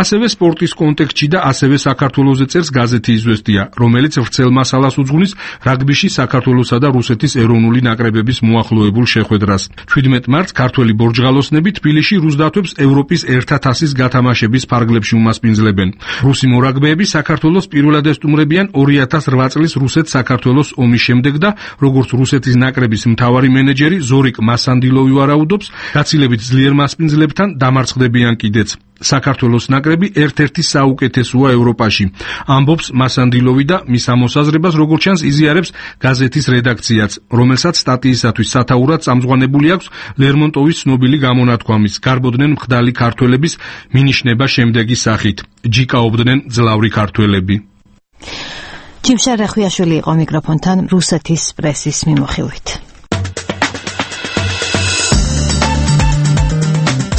ასევე სპორტის კონტექსტში და ასევე საქართველოზე წერს გაზეთი „იზვესტია“, რომელიც ვრცელ მასალას უძღვნის რაგბიში საქართველოსა და რუსეთის ეროვნული ნაკრებების მოახლოებულ შეხვედრას. შვიდმეტ მარტს ქართველი ბორჯღალოსნები თბილისში რუს დათვებს ევროპის ერთათასის გათამაშების ფარგლებში უმასპინძლებენ. რუსი მორაგბეები საქართველოს პირველად ესტუმრებიან ორი ათას რვა წლის რუსეთ-საქართველოს ომის შემდეგ და როგორც რუსეთის ნაკრების მთავარი მენეჯერი ზორიკ მასანდილოვი ვარაუდობს, გაცილებით ძლიერ მასპინძლებთან დამარცხდებიან კიდეც. საქართველოს ნაკრები ერთ-ერთი საუკეთესოა ევროპაში. ამბობს მასანდილოვი და მის ამოსაზრებას, როგორც ჩანს, იზიარებს გაზეთის რედაქციაც, რომელსაც სტატიისათვის სათაურად წამძღვანებული აქვს ლერმონტოვის ცნობილი გამონათქვამის „გარბოდნენ მხდალი ქართველების მინიშნება შემდეგი სახით: ჯიკაობდნენ ძლავრი ქართველები. ჯიმშერ რეხვიაშვილი იყო მიკროფონთან რუსეთის პრესის მიმოხილვით.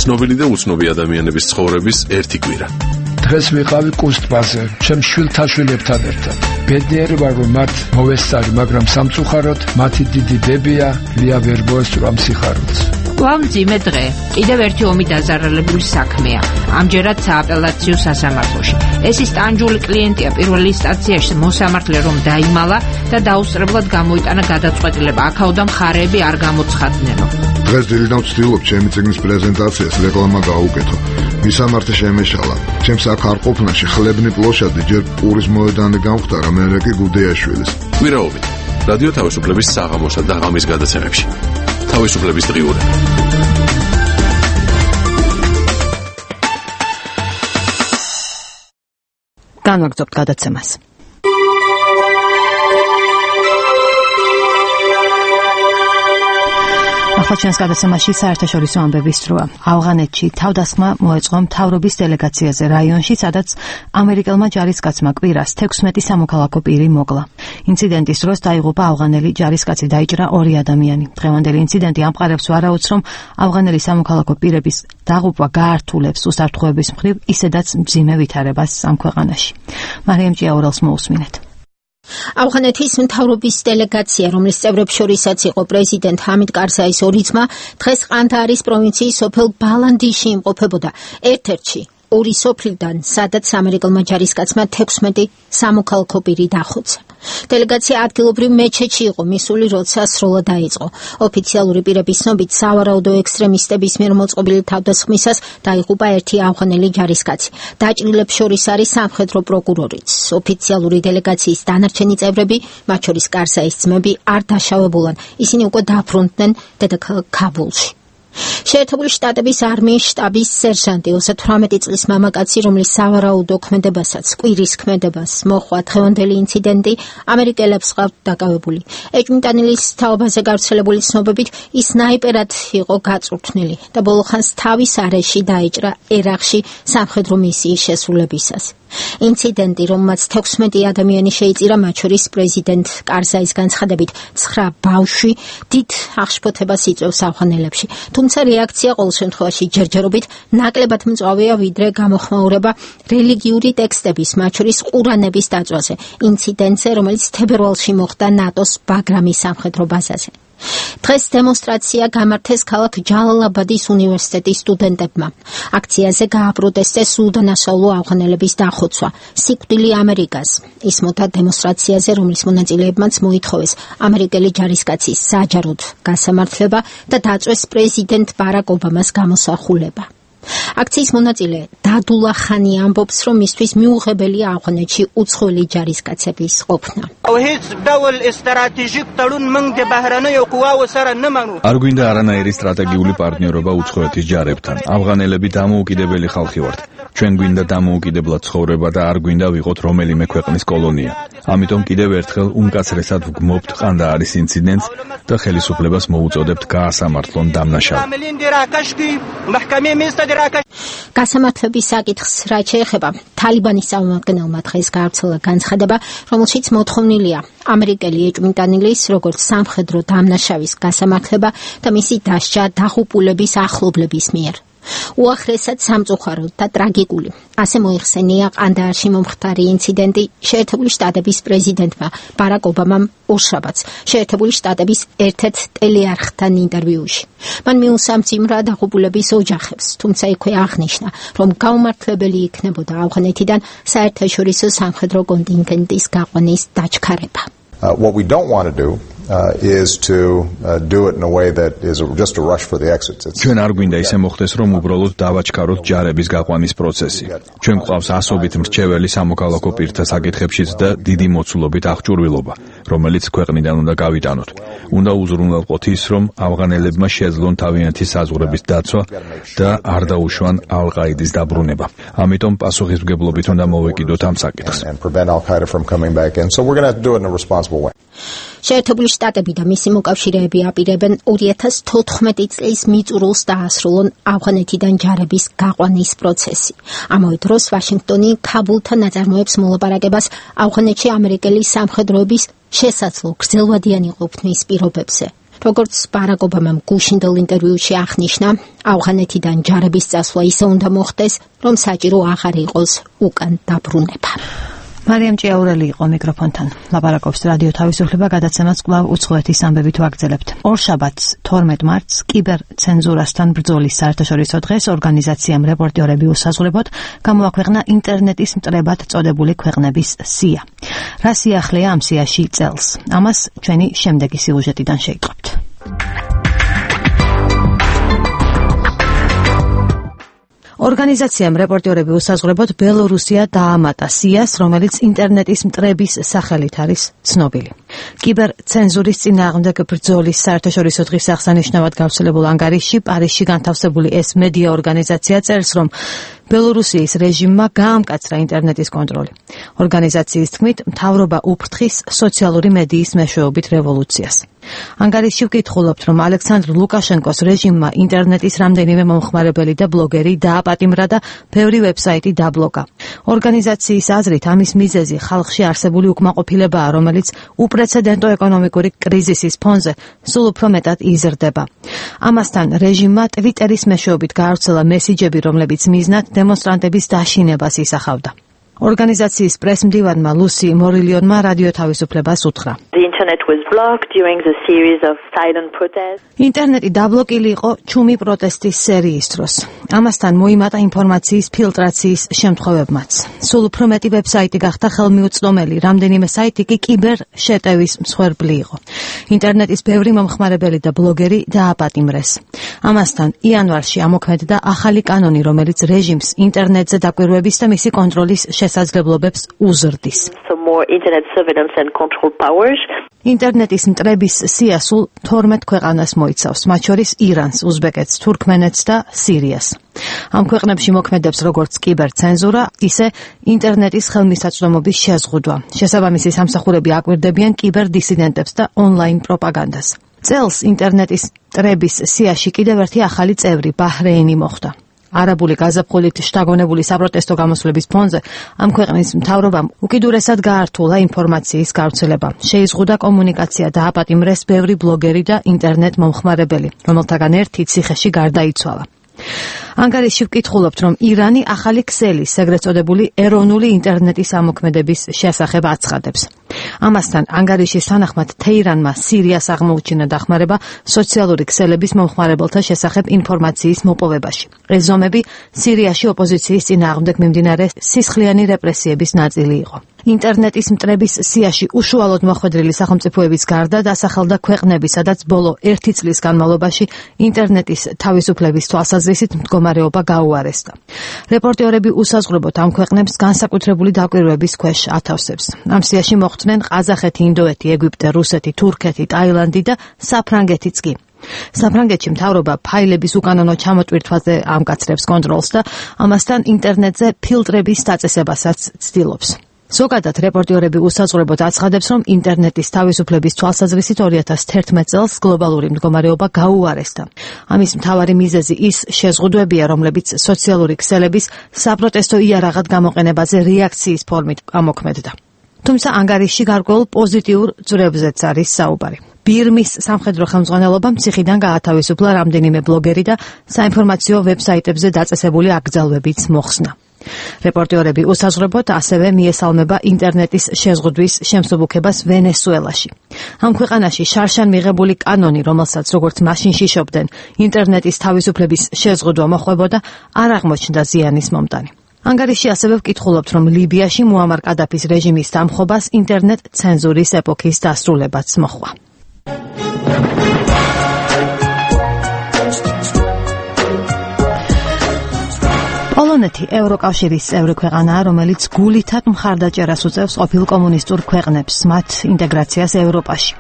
ცნობილი და უცნობი ადამიანების ცხოვრების ერთი კვირა. დღეს ვიყავი კუსტბაზე, ჩემ შვილთაშვილებთან ერთად. ბედნიერი ვარ, რომ მათ მოვესწარი, მაგრამ სამწუხაროდ მათი დიდი დებია ლია ვერ მოესწრო ამ სიხარულს. კვლავ მძიმე დღე. კიდევ ერთი ომი დაზარალებული საქმეა. ამჯერად სააპელაციო სასამართლოში. ეს ის ტანჯული კლიენტია პირველ ინსტანციაში მოსამართლე რომ დაიმალა და დაუსწრებლად გამოიტანა გადაწყვეტილება. აქაოდა მხარეები არ გამოცხადნენო. დღეს დილიდან ვცდილობ ჩემი წიგნის პრეზენტაციას რეკლამა გაუკეთო. მისამართი შემეშალა. ჩემს აქ არ ყოფნაში ხლებნი პლოშადი ჯერ პურის მოედანი გამختარა, მერე კი გუდეაშვილის. გვირაობით. რადიო თავისუფლების საღამოსა და ღამის გადაცემებში. თავისუფლების დღიურები. განვაგრძობთ გადაცემას. ახლა ჩვენს გადაცემაში საერთაშორისო ამბების სროა. ავღანეთში თავდასხმა მოეწყო მთავრობის დელეგაციაზე რაიონში, სადაც ამერიკელმა ჯარისკაცმა კვირას თექვსმეტი სამოქალაქო პირი მოკლა. ინციდენტის დროს დაიღუპა ავღანელი ჯარისკაცი, დაიჭრა ორი ადამიანი. დღევანდელი ინციდენტი ამყარებს ვარაუდს, რომ ავღანელი სამოქალაქო პირების დაღუპვა გაართულებს უსაფრთხოების მხრივ ისედაც მძიმე ვითარებას ამ ქვეყანაში. მარიამ ჭიაურელს მოусმინეთ. ავღანეთის მთავრობის დელეგაცია, რომლის წევრებს შორისაც იყო პრეზიდენტ ჰამიდ კარზაის ორი ძმა, დღეს ყანდაარის პროვინციის სოფელ ბალანდიში იმყოფებოდა. ერთ-ერთში ორი სოფლიდან, სადაც ამერიკელმა ჯარისკაცმა თექვსმეტი სამოქალაქო პირი დახოცა. დელეგაცია ადგილობრივ მეჩეთში იყო მისული, როცა სროლა დაიწყო. ოფიციალური პირების ცნობით, სავარაუდო ექსტრემისტების მიერ მოწყობილი თავდასხმისას დაიღუპა ერთი ავღანელი ჯარისკაცი. დაჭრილებს შორის არის სამხედრო პროკურორიც. ოფიციალური დელეგაციის დანარჩენი წევრები, მათ შორის კარზაის ძმები, არ დაშავებულან. ისინი უკვე დაბრუნდნენ დედაქალაქ ქაბულში. შეერთებული შტატების არმიის შტაბის სერჟანტი ოცდაოთხ წლის მამაკაცი, რომლის სავარაუდო ქმედებასაც კვირის ქმედებას მოჰყვა დღევანდელი ინციდენტი, ამერიკელებს ყავთ დაკავებული. ეჭვმიტანილის თაობაზე გავრცელებული ცნობებით, ის სნაიპერად იყო გაწვრთნილი და ბოლოხანს თავის არეში დაიჭრა ერაყში სამხედრო მისიის შესრულებისას. ინციდენტი, რომელმაც თექვსმეტი ადამიანი შეიწირა, მათ შორის პრეზიდენტ კარზაის განცხადებით ცხრა ბავშვი, დიდ აღშფოთებას იწვევს ავღანელებში. თუმცა რეაქცია ყოველ შემთხვევაში ჯერჯერობით ნაკლებად მწვავეა, ვიდრე გამოხმაურება რელიგიური ტექსტების, მათ შორის ყურანების დაწვაზე. ინციდენტზე, რომელიც თებერვალში მოხდა ნატოს ბაგრამის სამხედრო ბაზაზე. დღეს დემონსტრაცია გამართეს ქალაქ ჯალალაბადის უნივერსიტეტის სტუდენტებმა. აქციაზე გააპროტესტეს სულდანაშაულო ავღანელების დახოცვა, სიკვდილი ამერიკას. ისმოდა დემონსტრაციაზე, რომლის მონაწილეებმაც მოითხოვეს ამერიკელი ჯარისკაცის საჯაროდ გასამართლება და დაწვეს პრეზიდენტ ბარაკ ობამას გამოსახულება. აქციის მონაწილე დადულა ხანი ამბობს, რომ მისთვის მიუღებელია ავღანეთში უცხოელი ჯარისკაცების ყოფნა. არ გვინდა არანაირი სტრატეგიული პარტნიორობა უცხოეთის ჯარებთან. ავღანელები დამოუკიდებელი ხალხი ვართ. ჩვენ გვინდა დამოუკიდებლად ცხოვრება და არ გვინდა ვიყოთ რომელიმე ქვეყნის კოლონია. ამიტომ კიდევ ერთხელ უმკაცრესად ვგმობთ ყანდაარის ინციდენტს და ხელისუფლებას მოუწოდებთ გაასამართლონ დამნაშავე. გასამართლების საკითხს რაც შეეხება, თალიბანის წარმომადგენელმა დღეს გაავრცელა განცხადება, რომელშიც მოთხოვნილია ამერიკელი ეჭვმიტანილის, როგორც სამხედრო დამნაშავის გასამართლება და მისი დასჯა დაღუპულების ახლობლების მიერ. უახლესად სამწუხაროდ და ტრაგიკული. ასე მოიხსენია ყანდაარში მომხდარი ინციდენტი შეერთებული შტატების პრეზიდენტმა ბარაკ ობამამ ორშაბათს შეერთებული შტატების ერთ-ერთ ტელეარხთან ინტერვიუში. მან მიუსამძიმრა დაღუპულების ოჯახებს, თუმცა იქვე აღნიშნა, რომ გაუმართლებელი იქნებოდა ავღანეთიდან საერთაშორისო სამხედრო კონტინგენტის გაყვანის დაჩქარება. Uh, what we don't want to do uh, is to uh, do it in a way that is a, just a rush for the exits. ჩვენ არ გვინდა ისე მოხდეს, რომ უბრალოდ დავაჩქაროთ ჯარების გაყვანის პროცესი. ჩვენ გვყავს ასობით მრჩეველი სამოქალაქო პირთა საკითხებშიც და დიდი მოცულობით აღჭურვილობა, რომელიც ქვეყნიდან უნდა გავიტანოთ. უნდა უზრუნველყოთ ის, რომ ავღანელებმა შეძლონ თავიანთი საზღვრების დაცვა და არ დაუშვან ალ-ყაიდის დაბრუნება. ამიტომ პასუხისმგებლობით უნდა მოვეკიდოთ ამ საკითხს. შეერთებული შტატები და მისი მოკავშირეები აპირებენ ორი ათას თოთხმეტი წლის მიწურულს დაასრულონ ავღანეთიდან ჯარების გაყვანის პროცესი. ამავე დროს ვაშინგტონი ქაბულთან აწარმოებს მოლაპარაკებას ავღანეთში ამერიკელი სამხედროების შესაძლო გრძელვადიანი ყოფნის პირობებზე. როგორც ბარაკ ობამამ გუშინდელ ინტერვიუში აღნიშნა, ავღანეთიდან ჯარების წასვლა ისე უნდა მოხდეს, რომ საჭირო აღარ იყოს უკან დაბრუნება. მარიამ ჭიაურელი იყო მიკროფონთან. ლაპარაკობს რადიო თავისუფლება, გადაცემას კვლავ უცხოეთის ამბებით ვაგრძელებთ. ორშაბათს თორმეტ მარტს კიბერცენზურასთან ბრძოლის საერთაშორისო დღეს ორგანიზაციამ რეპორტიორები უსაზღვრებოდ გამოაქვეყნა ინტერნეტის მტრებად წოდებული ქვეყნების სია. რა სიახლეა ამ სიაში წელს? ამას ჩვენი შემდეგი სიუჟეტიდან შეიტყობთ. ორგანიზაციამ რეპორტიორები უსაზღვრებოდ ბელორუსია დაამატა სიას, რომელიც ინტერნეტის მტრების სახელით არის ცნობილი. კიბერცენზურის წინააღმდეგ ბრძოლის საერთაშორისო დღის აღსანიშნავად გავრცელებულ ანგარიშში პარიზში განთავსებული ეს მედია ორგანიზაცია წერს, რომ ბელორუსიის რეჟიმმა გაამკაცრა ინტერნეტის კონტროლი. ორგანიზაციის თქმით, მთავრობა უფრთხის სოციალური მედიის მეშვეობით რევოლუციას. ანგარიშში ვკითხულობთ, რომ ალექსანდრ ლუკაშენკოს რეჟიმმა ინტერნეტის რამდენიმე მომხმარებელი და ბლოგერი დააპატიმრა და ბევრი ვებსაიტი დაბლოკა. ორგანიზაციის აზრით, ამის მიზეზი ხალხში არსებული უკმაყოფილებაა, რომელიც უპრეცედენტო ეკონომიკური კრიზისის ფონზე სულ უფრო მეტად იზრდება. ამასთან რეჟიმმა ტვიტერის მეშვეობით გაავრცელა მესიჯები, რომლებიც მიზნად დემონსტრანტების დაშინებას ისახავდა. ორგანიზაციის პრესმდივანმა ლუსი მორილიონმა რადიო თავისუფლებას უთხრა. ინტერნეტი დაბლოკილი იყო ჩუმი პროტესტის სერიის დროს. ამასთან მოიმატა ინფორმაციის ფილტრაციის შემთხვევებმაც. სულ უფრო მეტი ვებსაიტი გახდა ხელმიუწვდომელი, რამდენიმე საიტი კი კიბერ შეტევის მსხვერპლი იყო. ინტერნეტის ბევრი მომხმარებელი და ბლოგერი დააპატიმრეს. ამასთან იანვარში ამოქმედდა ახალი კანონი, რომელიც რეჟიმს ინტერნეტზე დაკვირვების და მისი კონტროლის შესაძლებლობებს უზრდის. ინტერნეტის მტრების სია სულ თორმეტ ქვეყანას მოიცავს, მათ შორის ირანს, უზბეკეთს, თურქმენეთს და სირიას. ამ ქვეყნებში მოქმედებს როგორც კიბერცენზურა, ისე ინტერნეტის ხელმისაწვდომობის შეზღუდვა. შესაბამისი სამსახურები აკვირდებიან კიბერდისიდენტებს და ონლაინ პროპაგანდას. წელს ინტერნეტის მტრების სიაში კიდევ ერთი ახალი წევრი, ბაჰრეინი მოხვდა. არაბული გაზაფხულით შთაგონებული საპროტესტო გამოსვლების ფონზე ამ ქვეყნის მთავრობამ უკიდურესად გაართულა ინფორმაციის გავრცელება. შეიზღუდა კომუნიკაცია, დააპატიმრეს ბევრი ბლოგერი და ინტერნეტ მომხმარებელი, რომელთაგან ერთი ციხეში გარდაიცვალა. ანგარიშში ვკითხულობთ, რომ ირანი ახალი ქსელის, ეგრეთ წოდებული ეროვნული ინტერნეტის ამოქმედების შესახებ აცხადებს. ამასთან ანგარიშის თანახმად თეირანმა სირიას აღმოუჩინა დახმარება სოციალური ქსელების მომხმარებელთა შესახებ ინფორმაციის მოპოვებაში. ეს ზომები სირიაში ოპოზიციის წინააღმდეგ მიმდინარე სისხლიანი რეპრესიების ნაწილი იყო. ინტერნეტის მტრების სიაში უშუალოდ მოხვედრილი სახელმწიფოების გარდა დასახელდა ქვეყნები, სადაც ბოლო ერთი წლის განმავლობაში ინტერნეტის თავისუფლების თვალსაზრისით მდგომარეობა გაუარესდა. რეპორტიორები უსაზღვრებოდ ამ ქვეყნებს განსაკუთრებული დაკვირვების ქვეშ ათავსებს. ამ სიაში მოხვდნენ ყაზახეთი, ინდოეთი, ეგვიპტე, რუსეთი, თურქეთი, ტაილანდი და საფრანგეთიც კი. საფრანგეთში მთავრობა ფაილების უკანონო ჩამოტვირთვაზე ამკაცრებს კონტროლს და ამასთან ინტერნეტზე ფილტრების დაწესებასაც ცდილობს. ზოგადად რეპორტიორები უსაზღვრებოდ აცხადებს, რომ ინტერნეტის თავისუფლების თვალსაზრისით ორი ათას თერთმეტ წელს გლობალური მდგომარეობა გაუარესდა. ამის მთავარი მიზეზი ის შეზღუდვებია, რომლებიც სოციალური ქსელების საპროტესტო იარაღად გამოყენებაზე რეაქციის ფორმით ამოქმედდა. თუმცა ანგარიშში გარკვეულ პოზიტიურ ძვრებზეც არის საუბარი. ბირმის სამხედრო ხელმძღვანელობამ ციხიდან გაათავისუფლა რამდენიმე ბლოგერი და საინფორმაციო ვებსაიტებზე დაწესებული აკრძალვებიც მოხსნა. რეპორტიორები უსაზღვრებოდ ასევე მიესალმება ინტერნეტის შეზღუდვის შემსუბუქებას ვენესუელაში. ამ ქვეყანაში შარშან მიღებული კანონი, რომელსაც როგორც მაშინ შიშობდნენ, ინტერნეტის თავისუფლების შეზღუდვა მოხვებოდა, არ აღმოჩნდა ზიანის მომტანი. ანგარიში ასევე ვკითხულობთ, რომ ლიბიაში მუამარ კადაფის რეჟიმის დამხობას ინტერნეტ ცენზურის ეპოქის დასრულებაც მოჰყვა. პოლონეთი ევროკავშირის წევრი ქვეყანაა, რომელიც გულითად მხარდაჭერას უწევს ყოფილ კომუნისტურ ქვეყნებს, მათ ინტეგრაციას ევროპაში.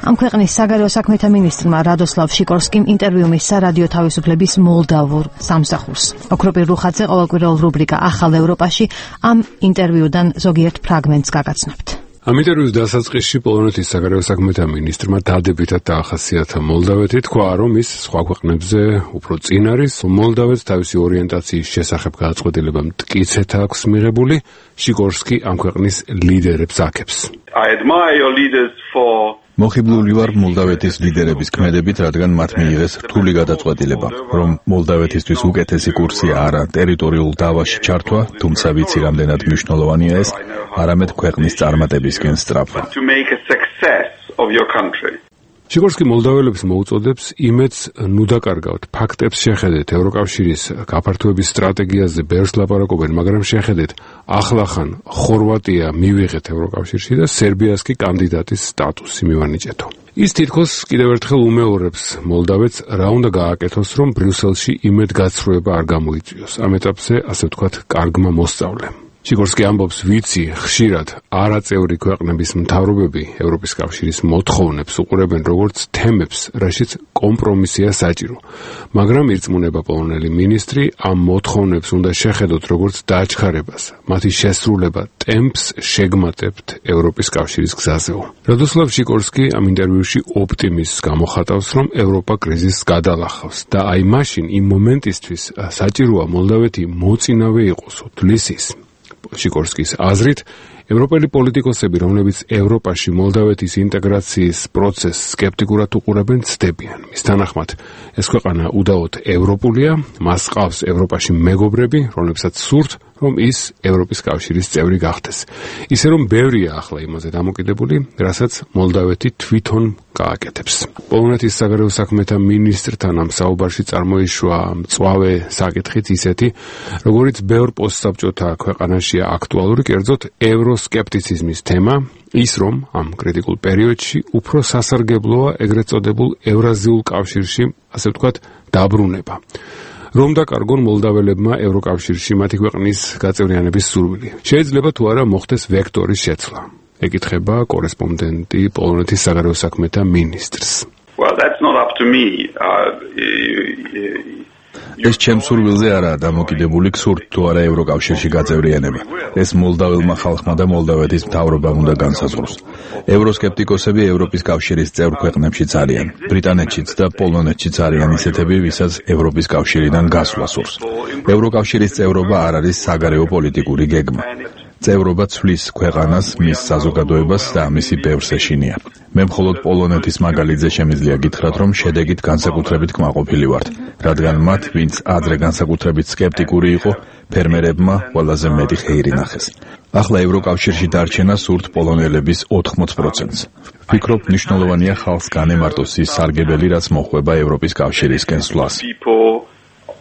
ამ ქვეყნის საგარეო საქმეთა მინისტრმა რადოსლავ შიკორსკიმ ინტერვიუ მისცა რადიო თავისუფლების მოლდავურ სამსახურს. ოქროპირ რუხაძე ყოველკვირეულ რუბრიკა ახალ ევროპაში ამ ინტერვიუდან ზოგიერთ ფრაგმენტს გაგაცნობთ. ამ ინტერვიუს დასაწყისში პოლონეთის საგარეო საქმეთა მინისტრმა დადებითად დაახასიათა მოლდავეთი, თქვა, რომ ის სხვა ქვეყნებზე უფრო წინ არის, მოლდავეთს თავისი ორიენტაციის შესახებ გადაწყვეტილება მტკიცედ აქვს მიღებული. შიკორსკი ამ ქვეყნის ლიდერებს აქებს. I admire your leaders for მოხიბლული ვარ მოლდავეთის ლიდერების ქმედებით, რადგან მათ მიიღეს რთული გადაწყვეტილება, რომ მოლდავეთისთვის უკეთესი კურსია არა ტერიტორიულ დავაში ჩართვა, თუმცა ვიცი რამდენად მნიშვნელოვანია ეს, არამედ ქვეყნის წარმატებისკენ სწრაფვა. შიკორსკი მოლდაველებს მოუწოდებს იმედს ნუ დაკარგავთ, ფაქტებს შეხედეთ, ევროკავშირის გაფართოების სტრატეგიაზე ბევრს ლაპარაკობენ, მაგრამ შეხედეთ, ახლახან ხორვატია მივიღეთ ევროკავშირში და სერბიას კი კანდიდატის სტატუსი მივანიჭეთო. ის თითქოს კიდევ ერთხელ უმეორებს მოლდავეთს, რა უნდა გააკეთოს, რომ ბრიუსელში იმედგაცრუება არ გამოიწვიოს. ამ ეტაპზე, ასე ვთქვათ, კარგმა მოსწავლე. შიკორსკი ამბობს, ვიცი, ხშირად არაწევრი ქვეყნების მთავრობები ევროპის კავშირის მოთხოვნებს უყურებენ როგორც თემებს, რაშიც კომპრომისია საჭირო. მაგრამ ირწმუნება პოლონელი მინისტრი, ამ მოთხოვნებს უნდა შეხედოთ როგორც დაჩქარებას. მათი შესრულება ტემპს შეგმატებთ ევროპის კავშირის გზაზეო. რადოსლავ შიკორსკი ამ ინტერვიუში ოპტიმიზმს გამოხატავს, რომ ევროპა კრიზისს გადალახავს და აი მაშინ იმ მომენტისთვის საჭიროა მოლდავეთი მოწინავე იყოსო, თulis ის. შიკორსკის აზრით, ევროპელი პოლიტიკოსები, რომლებიც ევროპაში მოლდავეთის ინტეგრაციის პროცესს სკეპტიკურად უყურებენ, ცდებიან. მის თანახმად, ეს ქვეყანა უდაოდ ევროპულია, მას ყავს ევროპაში მეგობრები, რომლებსაც სურთ, რომ ის ევროპის კავშირის წევრი გახდეს. ისე რომ ბევრია ახლა იმაზე დამოკიდებული, რასაც მოლდავეთი თვითონ გააკეთებს. პოლონეთის საგარეო საქმეთა მინისტრთან ამ საუბარში წარმოიშვა მწვავე საკითხით ისეთი, როგორიც ბევრ პოსტსაბჭოთა ქვეყანაშია აქტუალური, კერძოდ ევროსკეპტიციზმის თემა, ის რომ ამ კრიტიკულ პერიოდში უფრო სასარგებლოა ეგრეთ წოდებულ ევრაზიულ კავშირში, ასე ვთქვათ, დაბრუნება. რომ დაკარგონ მოლდაველებმა ევროკავშირში მათი ქვეყნის გაწევრიანების სურვილი. შეიძლება თუ არა მოხდეს ვექტორის შეცვლა. ეკითხება კორესპონდენტი პოლონეთის საგარეო საქმეთა მინისტრს. Well, that's not up to me. ეს ჩემ სურვილზე არაა დამოკიდებული, გსურთ თუ არა ევროკავშირში გაწევრიანება. ეს მოლდაველმა ხალხმა და მოლდავეთის მთავრობამ უნდა განსაზღვროს. ევროსკეპტიკოსები ევროპის კავშირის წევრ ქვეყნებშიც არიან. ბრიტანეთშიც და პოლონეთშიც არიან ისეთები, ვისაც ევროპის კავშირიდან გასვლა სურს. ევროკავშირის წევრობა არ არის საგარეო პოლიტიკური გეგმა. წევრობა ცვლის ქვეყანას, მის საზოგადოებას და ამისი ბევრს ეშინია. მე მხოლოდ პოლონეთის მაგალითზე შემიძლია გითხრათ, რომ შედეგით განსაკუთრებით კმაყოფილი ვართ, რადგან მათ, ვინც ადრე განსაკუთრებით სკეპტიკური იყო, ფერმერებმა ყველაზე მეტი ხეირი ნახეს. ახლა ევროკავშირში დარჩენა სურთ პოლონელების ოთხმოც პროცენტს. ვფიქრობ, მნიშვნელოვანია ხალხს განემარტოს ის სარგებელი, რაც მოჰყვება ევროპის კავშირისკენ სვლას.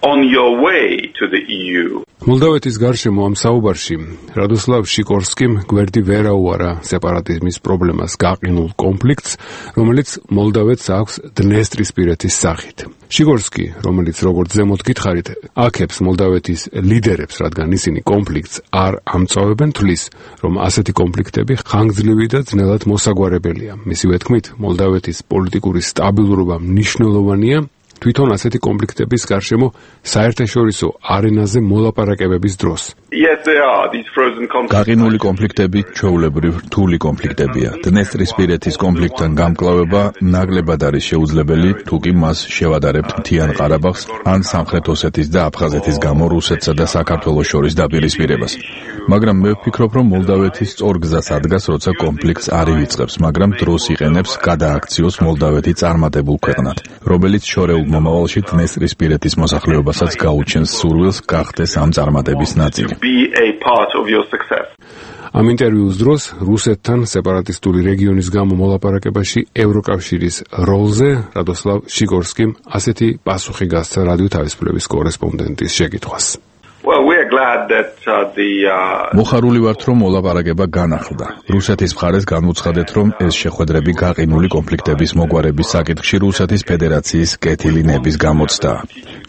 On your way to the E U. მოლდავეთის გარშემო ამ საუბარში რადოსლავ შიკორსკიმ გვერდი ვერ აუარა სეპარატიზმის პრობლემას გაყინულ კონფლიქტს, რომელიც მოლდავეთს აქვს დნესტრისპირეთის სახით. შიკორსკი, რომელიც როგორც ზემოთ გითხარით, აქებს მოლდავეთის ლიდერებს, რადგან ისინი კონფლიქტს არ ამწვავებენ, თulis, რომ ასეთი კონფლიქტები ხანგრძლივი და ძნელად მოსაგვარებელია. მისივე თქმით, მოლდავეთის პოლიტიკური სტაბილურობა მნიშვნელოვანია თვითონ ასეთი კონფლიქტების გარშემო საერთაშორისო არენაზე მოლაპარაკებების დროს. Yes, there are these frozen conflicts. გაყინული კონფლიქტები ჩვეულებრივ რთული კონფლიქტებია. დნესტრისპირეთის კონფლიქტთან გამკლავება ნაკლებად არის შეუძლებელი, თუ კი მას შევადარებთ მთიან ყარაბაღს ან სამხრეთ ოსეთის და აფხაზეთის გამო რუსეთსა და საქართველოს შორის დაპირისპირებას. მაგრამ მე ვფიქრობ, რომ მოლდავეთის სწორ გზას ადგას, როცა კონფლიქტს არ ივიწყებს, მაგრამ დროს იყენებს გადააქციოს მოლდავეთი წარმატებულ ქვეყნად, რომელიც შორეულ მომავალში დნესტრისპირეთის მოსახლეობასაც გაუჩენს სურვილს გახდეს ამ წარმატების ნაწილი. ამ ინტერვიუს დროს რუსეთთან სეპარატისტული რეგიონის გამო მოლაპარაკებაში ევროკავშირის როლზე რადოსლავ შიკორსკიმ ასეთი პასუხი გასცა რადიო თავისუფლების კორესპონდენტის შეკითხვას. Well, we are glad that uh, the uh... მოხარული ვართ, რომ მოლაპარაკება განახლდა. რუსეთის მხარეს განუცხადეთ, რომ ეს შეხვედრები გაყინული კონფლიქტების მოგვარების საკითხში რუსეთის ფედერაციის კეთილი ნების გამოცდაა.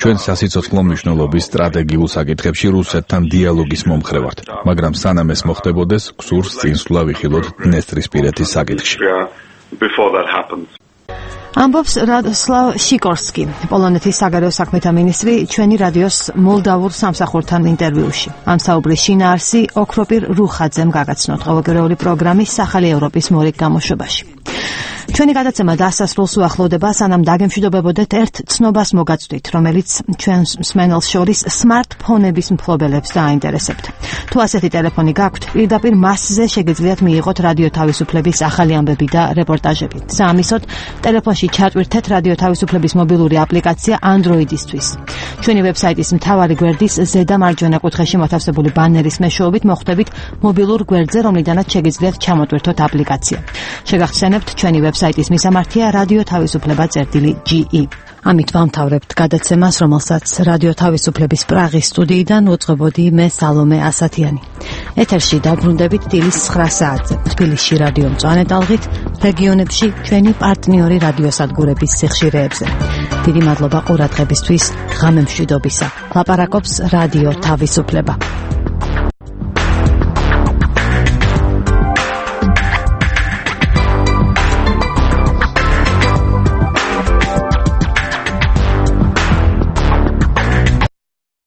ჩვენ სასიცოცხლო მნიშვნელობის სტრატეგიულ საკითხებში რუსეთთან დიალოგის მომხრე ვართ, მაგრამ სანამ ეს მოხდებოდეს, გსურს წინსვლა ვიხილოთ დნესტრისპირეთის საკითხში. Before that happens. ამბობს რადოსლავ შიკორსკი, პოლონეთის საგარეო საქმეთა მინისტრი, ჩვენი რადიოს მოლდავურ სამსახურთან ინტერვიუში. ამ საუბრის შინაარსი ოქროპირ რუხაძემ გაგაცნოთ ყოველდღიური პროგრამის სახალი ევროპის მორიგ გამოშვებაში. ჩვენი გადაცემა დასასრულს უახლოვდება, სანამ დაგემშვიდობებოდეთ ერთ ცნობას მოგაწვდით, რომელიც ჩვენს მსმენელს შორის smartphone-ების მფლობელებს დააინტერესებთ. თუ ასეთი ტელეფონი გაქვთ, პირდაპირ მასზე შეგიძლიათ მიიღოთ რადიო თავისუფლების ახალი ამბები და რეპორტაჟები. საამისოდ, ტელეფონში ჩატვირთეთ რადიო თავისუფლების მობილური აპლიკაცია Android-ისთვის. ჩვენი ვებსაიტის მთავარი გვერდის ზედა მარჯვენა კუთხეში მოთავსებული ბანერის მეშვეობით მოხვდებით მობილურ გვერდზე, რომლიდანაც შეგიძლიათ ჩამოტვირთოთ აპლიკაცია. შეგახსენებთ, ჩვენი ვებსაიტის მისამართია რადიო თავისუფლება წერტილი ჯი ი. ამით ვამთავრებთ გადაცემას, რომელსაც რადიო თავისუფლების პრაღის სტუდიიდან უძღვებოდი მე სალომე ასათიანი. ეთერში დაბრუნდებით დილის ცხრა საათზე. თბილისში რადიო მწვანე ტალღით, რეგიონებში ჩვენი პარტნიორი რადიოსადგურების სიხშირეებზე. დიდი მადლობა ყურადღებისთვის, ღამემშვიდობისა. ლაპარაკობს რადიო თავისუფლება.